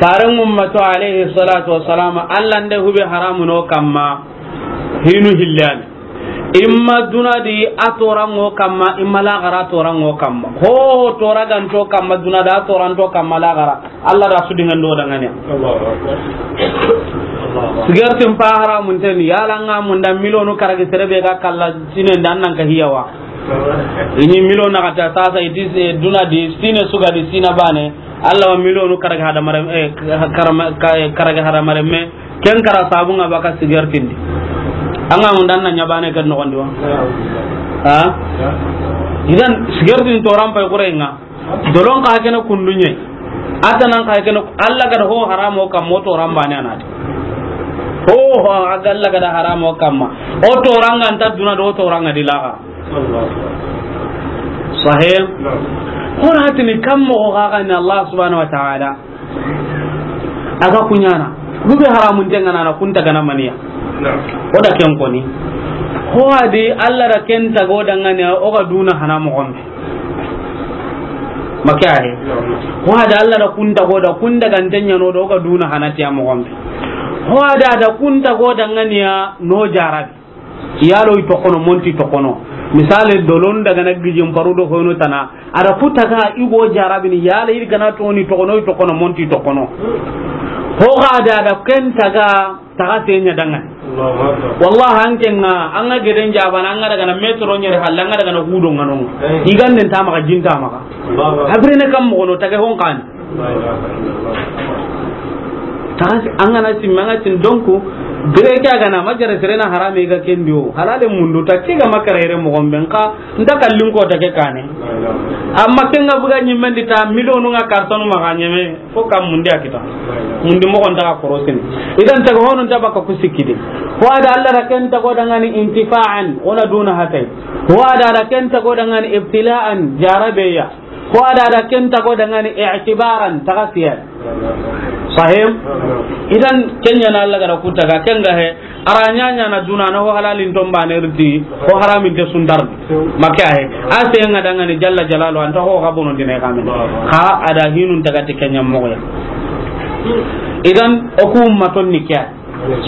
Faren ummato alayhi salatu wassalam, Allah nde hube haramuno kamma, hinu hillani. Imma duna di a torango kamma, imma lagara a torango kamma. Ho, ho tora ganto kamma, duna da a toranto kamma lagara. Allah da su dingando dangani. Allahu Akbar. Sigartin pa haramun teni, yala nga munda milonu karagi serebe ga kalla sine ndan nan ka hiyawa. Ini milona kata sasa iti se duna di sine suga di sina bane. Allah wa milonu karagi hadamare, eh, karama-, ka-, karagi hadamare me. Ken kara sabunga baka sigartindi. Anga munda na ɲabane ken nogondi wa. Ha? Idan sigartin toran pay kurenga. Dolon ka kene kundunye. Atanan ka kene Allah gada ho haramo kamma o toran bane anati. Ho, ho, aga Allah gada haramo kamma. O toranga nta duna do toranga dilaga. Sahih. Naam. Hona hatini kammo o gaga ni Allah subhanahu wa ta'ala. Aga kuɲana. Hube haramun tengana na kunta gana maniya. Naam. O da ken koni. Ho adi Allah da ken tago dangani o ga duna hana mo gombe. Maka ahe. Naam. Ho adi Allah da kunta go da kunda gantenya no do o ga duna hana tiya mo gombe. Ho adi ada kunta go danganiya no jarabi. Yalo i tokono, monti tokono. Misale, dolon daga na gijin paru do hono tana. Ada kutaga igo jarabini, yala i gana toni tokono, i tokono, monti tokono. Ho ga da, ada ken taga, taga tenya dangan. Allahu Akbar. Wallahi, an kenga, an ga geden jabana, an ga daga na metro nyere halla, an ga daga na hudo ngano. Eh. Iganden tama ka jinta maka. Allahu Akbar. Habire ne kam mo no tage hon kan. Taga an gana sin, manga sin, donc, bire ke a gana ma jare serena harame ga kendi o. Halale mundu ta ke ga makara yere mo gombe nka, nta kallin ko ta ke kane. Amma kenga buga nyimendi ta miliyonu nga kartonu maga nyeme, fo kam mundi a kita. Mundi mo gonta ka korosini. Idan taga honu nta baka kusikidi. Ho ada Allah da ken tago dangani intifa'an, ona duna hatai. Ho ada da ken tago dangani ibtila'an, jarabeya. Ko ada da ken tago dangani i'tibaran, taga siya. Sahih? Idan kenya na Allah gara kutaga, kenga he, aranya nya na duna na ho halalin tombane riti, ho haramin te sundar. Maka he, ase nga dangani jalla jalalu, anta ho ga bono dine kamin. Ka ada hinun taga ti kenya moya. Idan oku ummaton ni kya.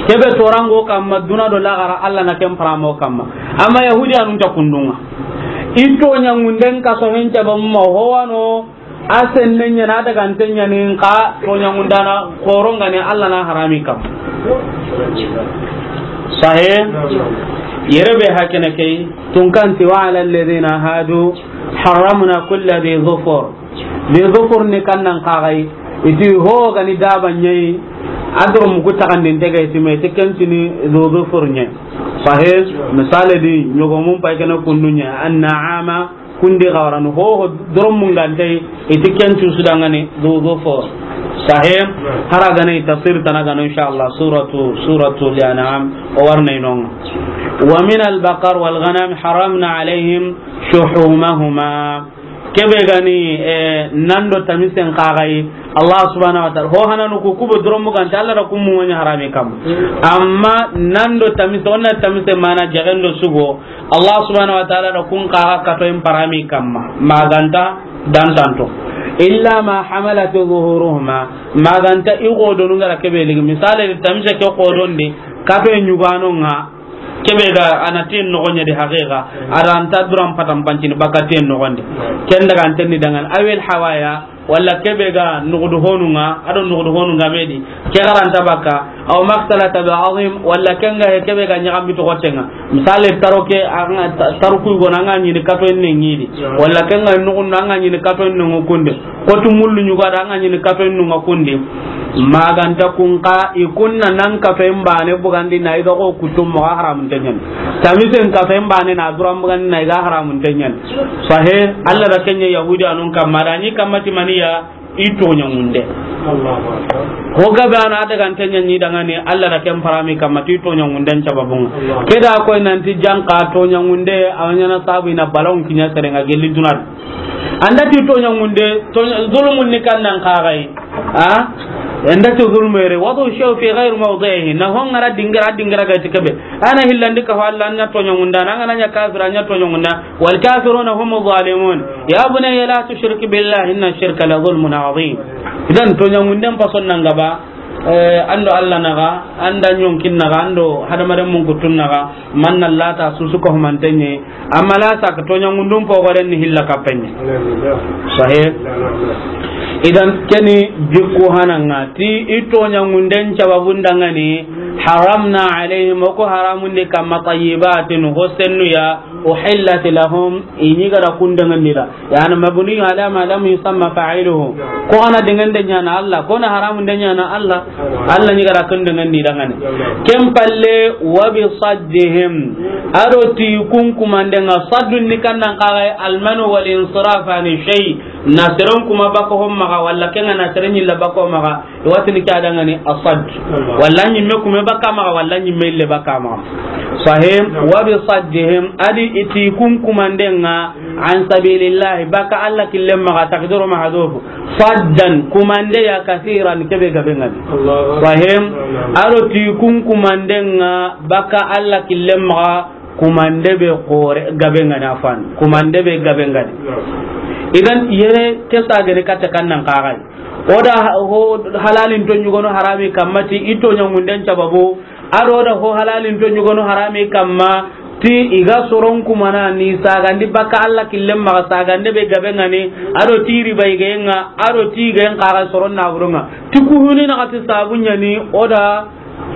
Kebe torango kamma duna do lagara Allah na ken paramo kamma. Amma Yahudi anun ta kundunga. Ito nyangunden ka so hen caba mo howano, asen nenya na daga antenya ni nka to nyangundana korongane Allah na harami kam. Sahih? Yere be hakene kay, tunkanti wa ala alladhina hadu harramna kulli dhi dhufur. Dhi dhufur ni kannan kagai, iti ho gani daba nyai, adro mugu takandin tege iti me, iti kentini dhi dhufur nyai. Sahih, misale di, nyogo mun pay kana kundu nyai, an na'ama, kundi gawaran ho, ho, dro mungante, iti kentu sudangani dhi dhufur. Sahih, haragane tafsir tanagano, inshallah, suratu, suratu al-An'am, o warna inonga. Wa min al-baqar wal ghanam haramna alayhim shuhumahuma. Kebe gani, eh, nando tamisen kagai. Allah subhanahu wa ta'ala ho hananu ku kubo doromu ganta Allah da kun muŋa ɲa harami kam. Amma nando tamise, onna tamise mana jagendo sugo. Allah subhanahu wa ta'ala da kun kaga katoyin parami kamma. Maganta dantanto. Illa ma hamalat zuhuruhuma. Maganta i godonu ngara kebe ligi. Misale tamise ke godondi. Katoye ɲugano nga. Kebe ga ana ten nogonya di haqiqa. Ada anta duran patan pancini baka ten nogondi. Ken daga antenni dangan. Awil hawaya. Walla kebe ga nugudu honunga, ado nugudu honunga medi. Ke garanta baka, aw maktalata bi azim, walla kenga he kebe ga nyagam bito gotenga. Misale taroke, anga ta-, taruku go nanga nyini kato enne ngidi. Walla kenga nugun nanga nyini kato enne ngukunde. Kotu mullu nyuga da anga nyini kato enne ngukunde. Maganta kunka ikunna nan kato embane bugandi na iga ko kutum mo haramun tenyen. Tamisen kato embane na duran bugandi na iga haramun tenyen. Sahe, Allah da kenya Yahudi anun kamma da ni kamma timaniya i toɲa ŋunde. Ho gabe ana daga ntenya ni daga ni Allah da ken parami kamma ti toɲa ŋunden sababun. Keda ko nanti janka toɲa ŋunde awanya na sabu ina balon kinya serenga gelli dunar. Anda ti toɲa ŋunde, toɲa, zulumun ni kan nan kagai. Ha? Anda ti zulmere, wadu shaw fi ghair mawdihi. Na hongara dingira, dingira ga tikebe. Ana hillandi ka Allah nya toɲa ŋunda, na ngana nya kafira nya toɲa ŋunda. Wal kafiruna hum zalimun. Ya bunayya la tushrik billahi inna shirka la zulmun azim. Idan toɲa ŋunden pason nan gaba, eh, ando Allah naga, anda nyonkin naga, ando hadamaren mun kutun naga, manna lata susu ko humantenye, amma la sa ka toɲa ŋundun pogoren ni hilla kapenye. Sahih. Idan keni jikku hananga ti i toɲa ŋunden sababun dangani haramna alaihim, o ko haramun de kamma tayyibatin hosennu ya uhillat lahum, ini gara kundangandira. Yani mabni ala ma lam yusamma fa'iluhu. Ko ana dengande nyana Allah, ko na haramun de nyana Allah. Allah ni gara kundangandi dangani. Kem palle wa bi saddihim. Ado ti kun kumandenga saddun ni kannan kagai almanu wal insiraf ani shay. Nasiran kuma bako hommaga walla kenga nasiran illa bako maga. Watini ke adangani asad. Walla nyimme kume baka maga, walla nyimme ille baka maga. Sahim, wa bi saddihim, adi iti kun kumandenga an sabilillahi, baka Allah killen maga, takdiru mahdhuf. Saddan, kumande ya kasiran, kebe gabengani. Sahim, aro ti kun kumandenga baka Allah killen maga, kumande be kore gabengani afan. Kumande be gabengani. Idan yere kesa gani kata kannan kagai. O da ha-, ho halalin to ɲugono harami kamma ti i toɲa ŋunden sababu, ado da ho halalin to ɲugono harami kamma ti i ga soron kumana ni sagandi baka Allah killen maga sagande be gabengani, ado ti riba i gayenga, ado ti i gayen kaga soron na burunga. Ti kuhuni na kati sabunya ni o da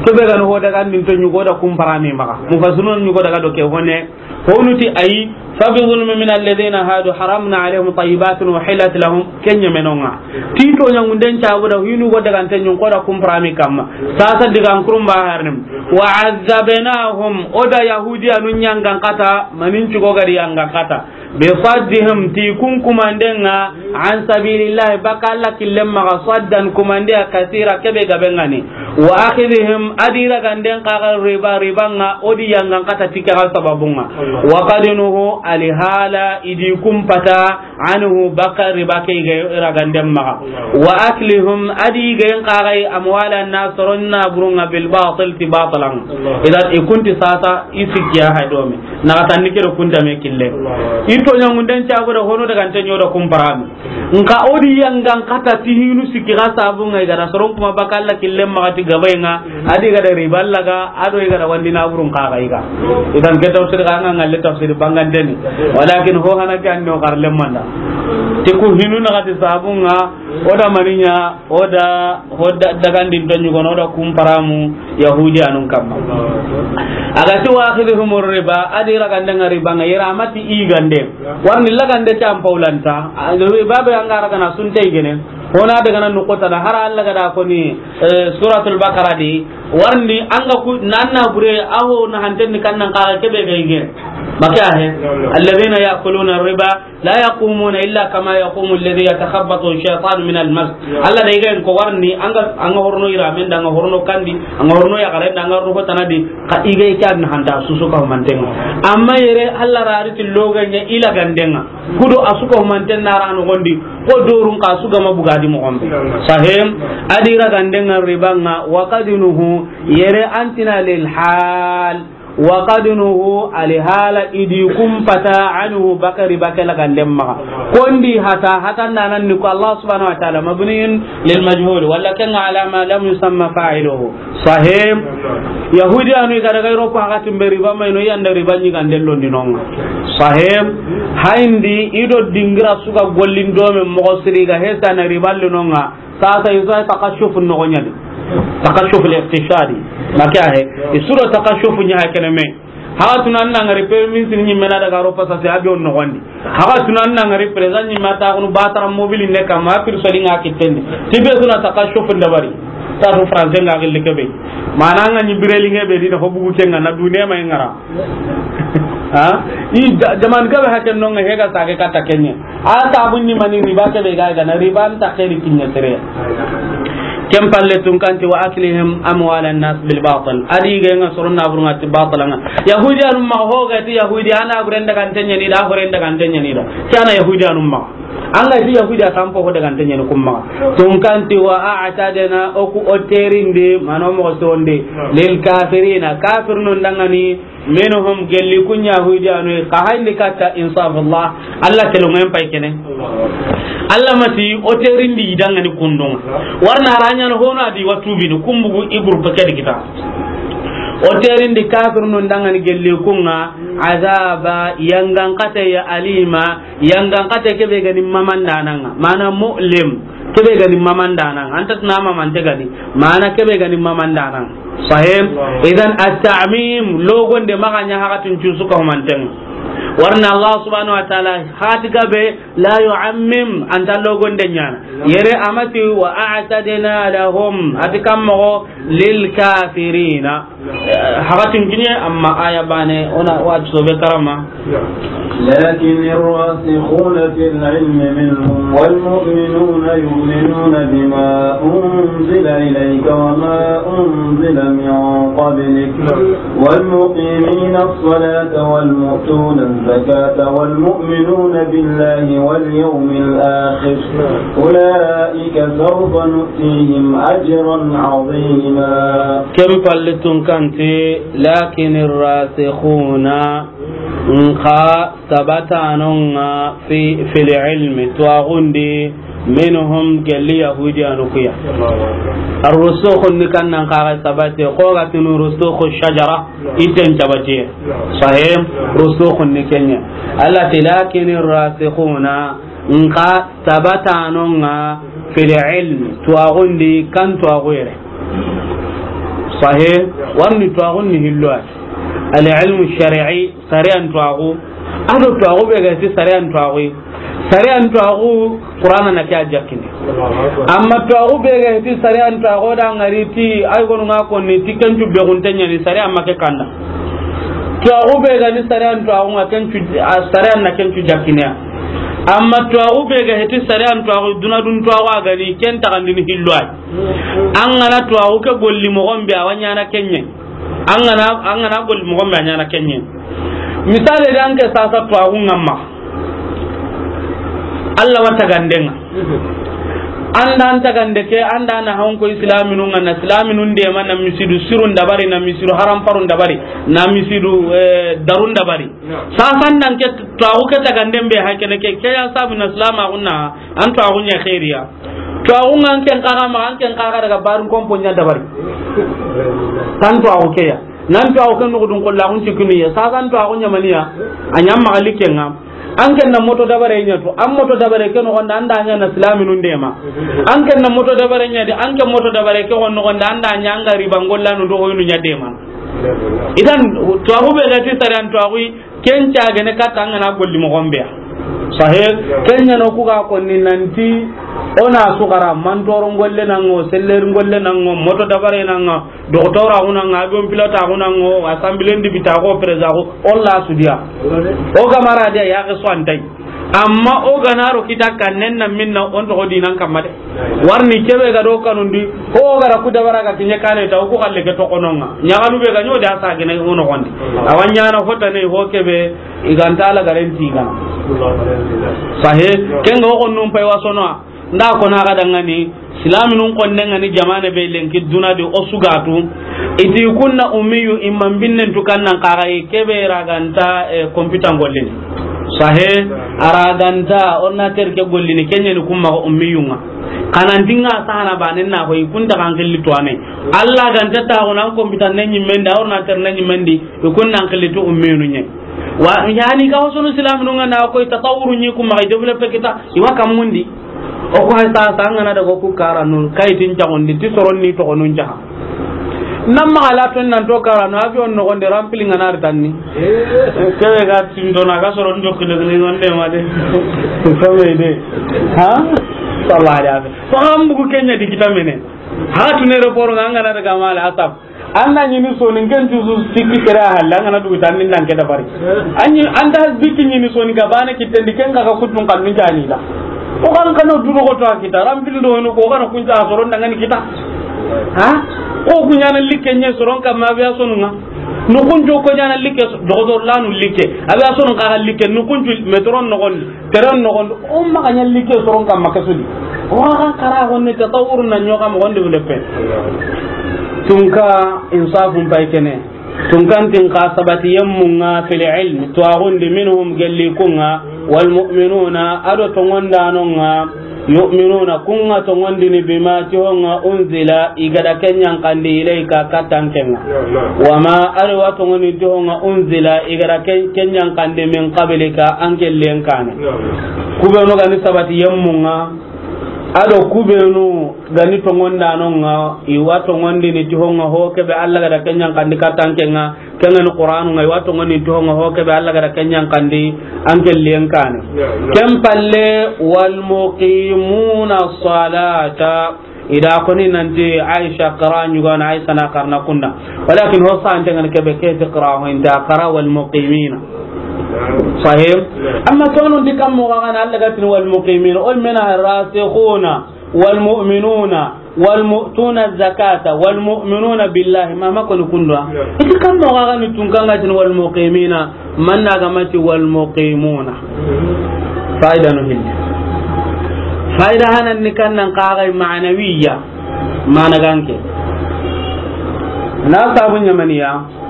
kebe gani ho daga nin to ɲugo da kumparami maga. Mufasirun ɲugo daga do ke hone. Honu ti ayi, fa bi zulmi min alladhina hadu haramna alaihim tayyibatin uhillat lahum, kenya menonga. Ti toɲa ŋunden sabu da hinu go daga nten ɲun ko da kumparami kamma. Sasa diga an kurumba harnim. Wa azzabnahum, o da Yahudiya nun yangan kata, manin cugo gari yangan kata. Bi saddihim, ti kun kumandenga, an sabilillahi, baka Allah killen maga saddan kumandeya kasira kebe gabengani. Wa akhidhihim, adi raganden kaga riba, ribanga, odi yangan kata tike ga sababunga. Wa qad nuhu, alihala, idi kumpata, anhu, baka riba ke ga raganden maga. Wa aklihim, adi gayen kagai amwala nas, soron na burunga bil batil, ti batilan. Idan ikunti sasa, isikiya hadomi. Na tanni kero kunta me kille. I toɲa ŋunden sabu da hono daga nten ɲo da kumparami. Nka odi yangan kata ti hinu sikki ga sabunga i ga da soron kuma baka Allah killen maga ti gabayenga, adi ga da riba Allah ga, ado i ga da wandi na burun kaga i ga. Idan ke tafsir ga nga ngalle tafsir bangandeni. Walakin ho hana ke anno kar lemmanda. Ti ku hinu na kati sabunga, o da maninya, o da, o da dagandin to ɲugono, o da kumparamu Yahudi anun kamma. Aga ti wa akhidhum riba, adi ragandanga ribanga, yera amati i gande. Warni lagande ta ampaulanta. Babe anga ragana sunte i gene. Hona daga nan nukota da hara Allah ga da koni, eh, Suratul Baqara di. Warni anga ku nanna bure aho na hanten ni kannan kaga kebe ga i gene. Maka he, الذين يأكلون الربا لا يقومون إلا كما يقوم الذي يتخبطه الشيطان من المس. Allah da i ga ko warni, an ga, an ga horno ira men da, an ga horno kandi, an ga horno ya garen da, an ga horno tanadi, ka i ga i kan hanta su su ka mantenga. Amma yere Allah rari ti loganya ila gandenga. Kudo a su ka manten na rano gondi, ko dorun ka su ga ma bugadi mo gombe. Sahim, a di ra gandenga ribanga, wa qad nuhu, yere antina lil hal. Wa qad nuhu, alihala i di kumpata, anhu, bakari bakela gandem maga. Kondi hata, hata nanan ni ko Allah subhanahu wa ta'ala, mabniyun lil majhul, wala kan ala ma lam yusamma fa'iluhu. Sahim. Yahudi anu i ga daga Europe, hakatin be riba mai no yanda riba ni ganden londi nonga. Sahim. Haindi i do dingira su ga gollin do men mo siri ga hesa na riba linonga. Sasa i sa takashuf nogo ɲani. Takashuf al-iqtisadi. Maka he. I su do takashuf ɲa ha kene me. Haga tuna an na ngari premier ministre ɲi me na daga Europa sasa a be on nogondi. Haga tuna an na ngari président ɲi me ta kunu batara mobile ne kama pir so dinga kitten di. Ti be su na takashuf dabari. Ta to français nga gilli kebe. Mana nga ɲi bireli nge be di na ho bugu kenga na dune ma ngara. Ha? I ja-, jaman gabe haken nonga hega sage kata kenye. A ta bunni mani riba ke be ga ga na riba an ta khairi kinya tere. Kem palle tun kanti wa aklihim amwal an-nas bil batil. A di ga nga soron na burunga ti batil nga. Yahudi anu ma ho ga ti Yahudi ana guren daga tenya ni da, guren daga tenya ni da. Kana Yahudi anu ma. An ga ti Yahudi a tampo ho daga tenya ni kuma. Tun kanti wa a'tadna oku oterinde mano mo sonde lil kafirina kafirnun dangani. Minhum, gelli kun Yahudi anu, ka hayni katta insafullah, Allah telongen pay kene. Allah mati, o terindi dangani kundun. Warna ranya no hono adi watubini, kumbugu i groupe ke di kita. O terindi kafirnun dangani gelli kunga, azaba, yangan kate ya alima, yangan kate kebe gani mamandananga. Mana mu'lim. Kebe gani mamandanan, anta tuna mamante gani, mana kebe gani mamandanan. Sahim. Idan at-ta'mim, logonde maganya hakatin cusu ka humanten. Warna Allah subhanahu wa ta'ala, hati gabe, la yu'ammim, anta logonde nyana. Yere amati wa a'tadna lahum, ati kammo lil kafirina. Eh, hakatin kinye, amma aya bane, ona wa sobe karama. لكن الراسخون في العلم منهم والمؤمنون يؤمنون بما أنزل إليك وما أنزل من قبلك والمقيمين الصلاة والمؤتون الزكاة والمؤمنون بالله واليوم الآخر أولئك سوف نؤتيهم أجرا عظيما. Ken palle tun kanti, لكن الراسخون, nxa sabatanonga fi, fil ilmi, tuwaxundi, minhum, gelli Yahudiyanu kuya. Arrusukhun ni kannan kaxa sabate, xogatinu rusukhu shajara, iten sabate. Sahim, rusukhun ni kenya. Allah ti, لكن الراسخون, nxa sabatanonga fil ilmi, tuwaxundi, kan tuwaxu yere. Sahih, warni tuwaxun ni hillo ay. Al ilmu shar'i, sariyan tuwaxu. Ado tuwaxu be ga ti sariyan tuwaxu. Sariyan tuwaxu, Qur'ana na ke a jakkini. Amma tuwaxu be ga ti sariyan tuwaxu da ngari ti, ay gonu nga konni ti kencu be gunte nyani sariyan ma ke kanda. Tuwaxu be ga ni sariyan tuwaxu nga kencu, a sariyan na kencu jakkini ya. Amma tuwaxu be ga heti sariyan tuwaxu, duna dun tuwaxu a gani, ken taxandini hillo ay. An gana tuwaxu ke golli moxon be, a wa ɲana kenye. An gana, an gana golli moxon be, a ɲana kenye. Misale de, an ke sasa tuwaxu nga ma. Allah wa tagandenga. An da an tagande ke, an da na hanko islaminun nga na islaminun de ma na misidu sirun dabari, na misidu haram parun dabari, na misidu, eh, darun dabari. Sasan nan ke tuwaxu ke taganden be hakene ke, ke ya sabu na silamaxun na, an tuwaxu ɲa xeeriya. Tuwaxu nga an ken kaxa ma, an ken kaxa daga barin kompo ɲa dabari. Tan tuwaxu ke ya. Nan tuwaxu ke nuxudun kollaxun cikkini ya. Sasan tuwaxu ɲa maniya, a ɲa maxa likke nga. An ken na moto dabare ɲa tu, an moto dabare ke noxon da, an da ɲa na silaminun de ma. An ken na moto dabare ɲa di, an ken moto dabare ke xon noxon da, an da ɲa an ga riba ngollanu do hoynu ɲa de ma. Idan, tuwaxu be ga ti sariyan tuwaxu, ken cagene katta an gana golli moxon be ya. Sahe, ken ɲa no ku ga konni nanti, o na su xara, mantoro ngolle na ŋa, seller ngolle na ŋa, moto dabare na ŋa, doxotora xu na ŋa, avion pilota xu na ŋa, assemblée ndibita xo, président xo, o la su diya. O ga mara diya, ya ke so antai. Amma o ga na ro kita kannen na minna, o n toxo dinan kamma de. Warni kebe ga do kanundi, ko o ga ra ku dabara ga kiɲe kane ta, o ku xalle ke toxo no ŋa. Ɲaxalu be ga ɲo da sa gene o noxondi. Awa ɲaana hota ne ho kebe, i ga nta la garanti gana. Sahe, ken ga o xonnun pay wasono. Nda ko na ga dangani, silaminun konne ngani jamane be lenki duna di o sugatu. Iti kunna ummiyu imman binnen tu kannan kaga i kebe ra ga nta, eh, computer gollini. Sahe, a ra ga nta ordinateur ke gollini, ken ɲa ni kumma ko ummiyunga. Kanan dinga sana banen na ko i kunta kan xilli to ane. Allah ga nta ta ko nan computer ne ɲimmen da, ordinateur ne ɲimmen di, i kun nan xilli to ummiyunu ɲe. Wa yani ga wasono silaminun ŋa na ko i tatawuru ɲi kumma i développer kita, i wa kammundi. O ko hay sa, sa ngana daga ku karanu, kayitin caxundi, ti soron ni toxonun caxa. Nan maxa la ton nan to karanu, avion noxondi, rempli ngana ri tanni. Kebe ga tindo na ga soron jokki de ni wonde ma de. Kebe de. Ha? Sallallahu alaihi wasallam. Ko an bugu ken ɲa di kita mene. Ha tun aéroport ngana daga mala asab. An na ɲini soni, n ken tusu sikki kere a halle, an ga na dugu tan ni nan ke dabari. An ɲi, an ta biki ɲini soni ga bane kitten di, ken ga ga kutun kannun cani da. O kan kano du doxoto a kita, rampil do no ko ga na kun ta soron dangani kita. Ha? Ko ku ɲaana likke ɲe soron kamma aviation nga. No kun jo ko ɲaana likke so-, doxotor lanu likke. Aviation ka ga likke, no kun ju metron no gon. Teren noxon, o maxa ɲa likke soron kamma ke su di. O xa xara xonne tatawuru na ɲoxa moxon di wule pe. Tunka insafun pay kene. Tunkan tin xa sabati yemmunga fil ilm, tuwaxundi minhum gelli kunga, wal mu'minuna, ado tongondanonga, yu'minuna, kunga tongondini bima tihonga unzila, i gada kenyan kandi ilayka katan kenga. Wama, ado wa tongondini tihonga unzila, i gada ken-, kenyan kandi min qablika, an kellen kane. Kubenu gani sabati yemmunga, ado kubenu gani tongondanonga, i wa tongondini tihonga ho kebe Allah gada kenyan kandi katan kenga, Kengani Qur'anu ngai wa tongoni ti honga ho kebe Allah gada kenyan kandi an kelliyen kane. Ken palle, wal muqimuna salata. Ida koni nanti Aisha qara nyugana, Aisha na qarna kunda. Walakin ho sa antengan kebe ke ti qara ho inta qara wal muqimina. Sahih? Amma tonon di kam mo gana Allah gatin wal muqimina. Ol mena rasikhuna. والمؤمنون والمؤتون الزكاة والمؤمنون بالله. Ma ma koni kundwa. Iti kam mo ga ni tun kanga tin والمقيمين, man na ga mati والمقيمون. Faida no hilli. Faida hanan ni kan nan kaga ma'nawiya. Mana ganke. Na sabu nyamaniya.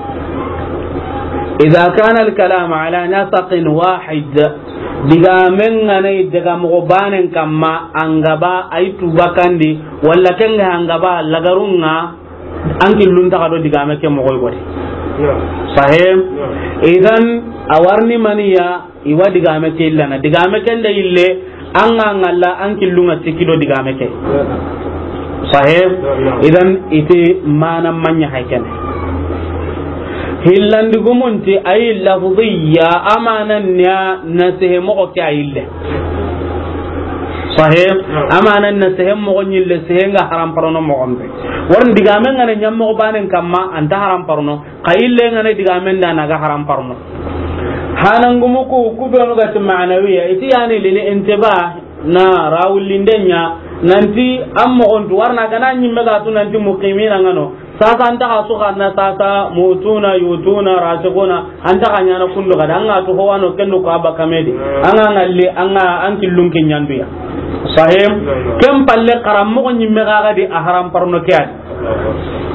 إذا كان الكلام على نسق واحد, digamen ganai daga mogo banen kamma, an gaba ay tubakandi, walla kenga an gaba lagarunga, an killun taga do digame ke mogo godi. Sahih? Idan, awarni maniya, Iwa digame ke illana. Digame ken da ille, an ga ngalla, an killunga sikki do digame ke. Sahih? Idan ite mana manya haykene. Hillandi gumunti ay lafziya, amanan nya na sehe mogo ke ayille. Sahih? Amanan na sehe mogo nyille, sehe nga haram parono mogo mbe. Warin digame ngana nyam mogo banen kamma, anta haram parono. Xa ille ngana digamen da na ga haram parno. Hanangumu ku, ku benu ga ti ma'nawiya, iti yani lil intiba na rawulindenya, nanti an mogontu warna gana nyimme ga tu nanti muqimina ngano. Sasa anta ga su xarna sasa mutuna, yutuna, rasikuna, anta ga nyana kundu ga da, an ga tu howano kendu ko abba kamedi. An ga ngalle, an ga an killun ke nyanduya. Sahim, ken palle xaran mogo nyimme ga ga di a haram parno ke adi.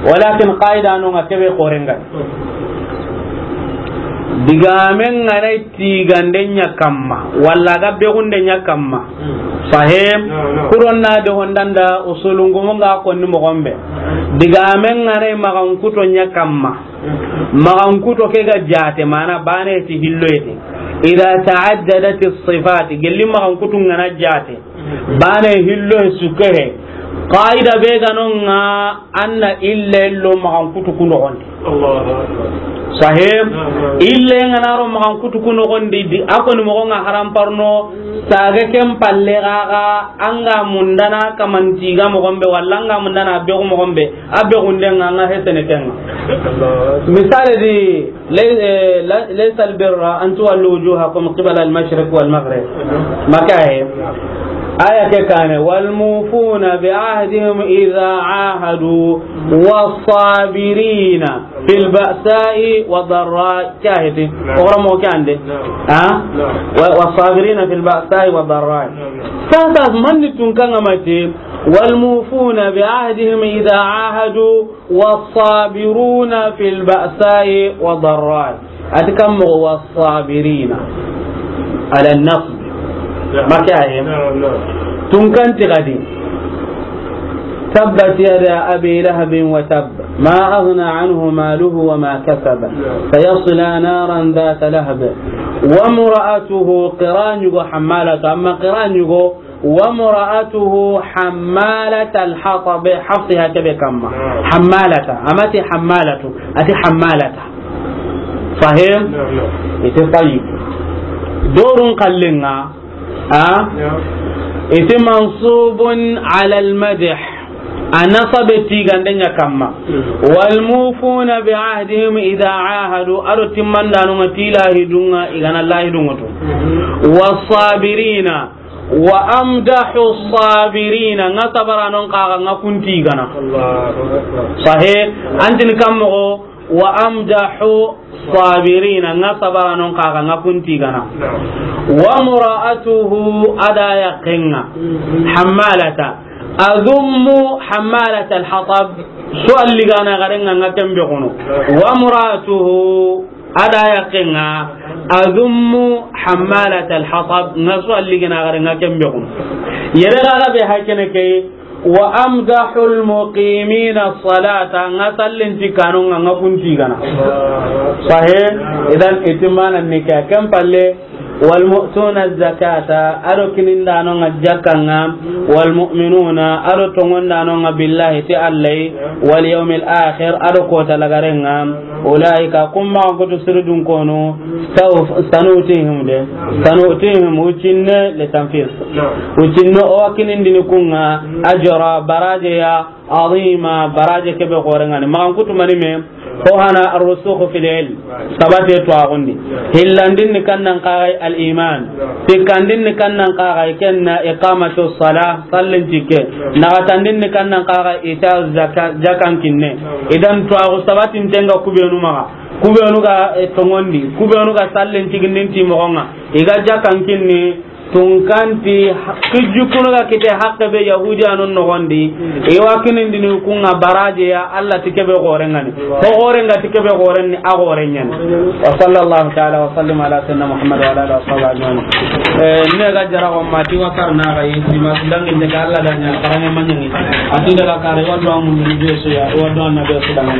Walakin qaida no nga kebe xorenga. Digamen ngana tigande nya kamma, walla ga begunde nya kamma. Sahim, kuron na de hondanda usulungumu nga konni mogombe. Digamen ngana magan kuto nya kamma. Magan kuto ke ga jate mana bane ti hilloyete. Idha ta'addadat as-sifat, gelli magan kutu ngana jate. Bane hillo sukehe. Qaida be ga no nga anna illa illo magan kutu kuno on. Allahu Akbar. Sahib, ille nga na ro maxan kutu ku noxon di, di, a ko ni moxo nga haram parno, saga ken palle gaga, an ga mundana kaman tiga moxon be, walla an ga mundana begu moxon be, a begunde nga, nga hesene ken nga. Misale di, lay-, eh, la-, laysa albirra an tuwallu wujuhakum qibala almashriq walmaghrib. Makahe. Aya ke kane, walmufuna bi ahdihim idha ahadu, wasabirina fil ba'sa'i wa darra, ke a heti. Naam. O gora mo ke ande. Naam. Ha? Naam. Wa, wa sabirina fil ba'sa'i wa darra. Naam, naam. Sasa manni tun kan amati, wal mufuna bi ahdihim idha ahadu, was sabiruna fil ba'sa'i wa darra. Ati kam mo was sabirina ala nasb. Naam. Makahe. Naam, naam. Tun kan ti gadi. تبت يدا أبي لهب وتب، ما أغنى عنه ماله وما كسب، سيصلى نارا ذات لهب، وامرأته قرانيغو حمالة، أما قرانيغو، وامرأته حمالة الحطب، حفصها كبه كما. حمالة، أمتي حمالة، أتي حمالة. فهم؟ نعم، نعم. إتي طيب. دور قلنا. A? Naam. Iti mansubun ala almadh. A nasabe tigande ɲa kamma. Mm. Wal mufuna bi ahdihim idha ahadu, ado timmandano nga ti lahidunga, i gana lahidunga tu. Mm. Was sabirina, wa amdahu sabirina, nga sabaranon kaga nga kunti gana. Allahu akbar. Sahih, antin kammo, wa amdahu sabirina, nga sabaranon kaga nga kunti gana. Naam. Wa mura'atuhu, ada yakenga. Mhm. Hammalata. Azummu hammalata alhatab. So alligana garenga nga kembe kono. Naam. Wa mura'atuhu, ada yakenga. Azummu hammalata alhatab. Nga so alligana garenga kembe kono. Yere gaga be hakene ke. Wa amdahul muqimina salata, nga sallen ti kanonga nga kunti gana. Sahe, idan itimana nika kan palle, wal mu'tuna zakata, ado kinindanonga jakanga, wal mu'minuna, ado tongondanonga billahi ti Allahi, wal yawmil akhir, ado kota lagarenga. Ulaika, kumma kutu siridun kono, saw-, sanutihim de, sanutihim, ucinne le tanfis. Naam. Ucinne o wakinindini kunga, ajra, baraje ya, azima, baraje kebe gorengani. Magan kutu mani me, ko hana arrusukhu fil ilm, sabate to agundi. Hillandin ni kannan kagai al iman. Sikkandin ni kannan kaga i kenna iqamatu salah, sallin tikke. Nagatandin ni kannan kaga ita zaka, jakan kinne. Idan tuwaxu sabatin tenga kubenu maga. Kubenu ga, eh, tongondi. Kubenu ga sallin tigindin ti mogonga. Iga jakan kinni tunkanti ha-, kijukunu ga kite hakke be Yahudi anon nogondi. Iwa kinindini kunga baraje ya Allah ti kebe gorengani. Ko gorenga ti kebe gorenni a gorenyani. Wa sallallahu ta'ala wa sallim ala sayyidina Muhammad wa ala alihi wa sahbihi ajma'in. Eh, ne ga jara ko mati wa karna ga yi, ma dangi ne ga Allah danya, karanga manyangi. Ati daga kare wa do mun ni be so ya, wa do na be so dangi.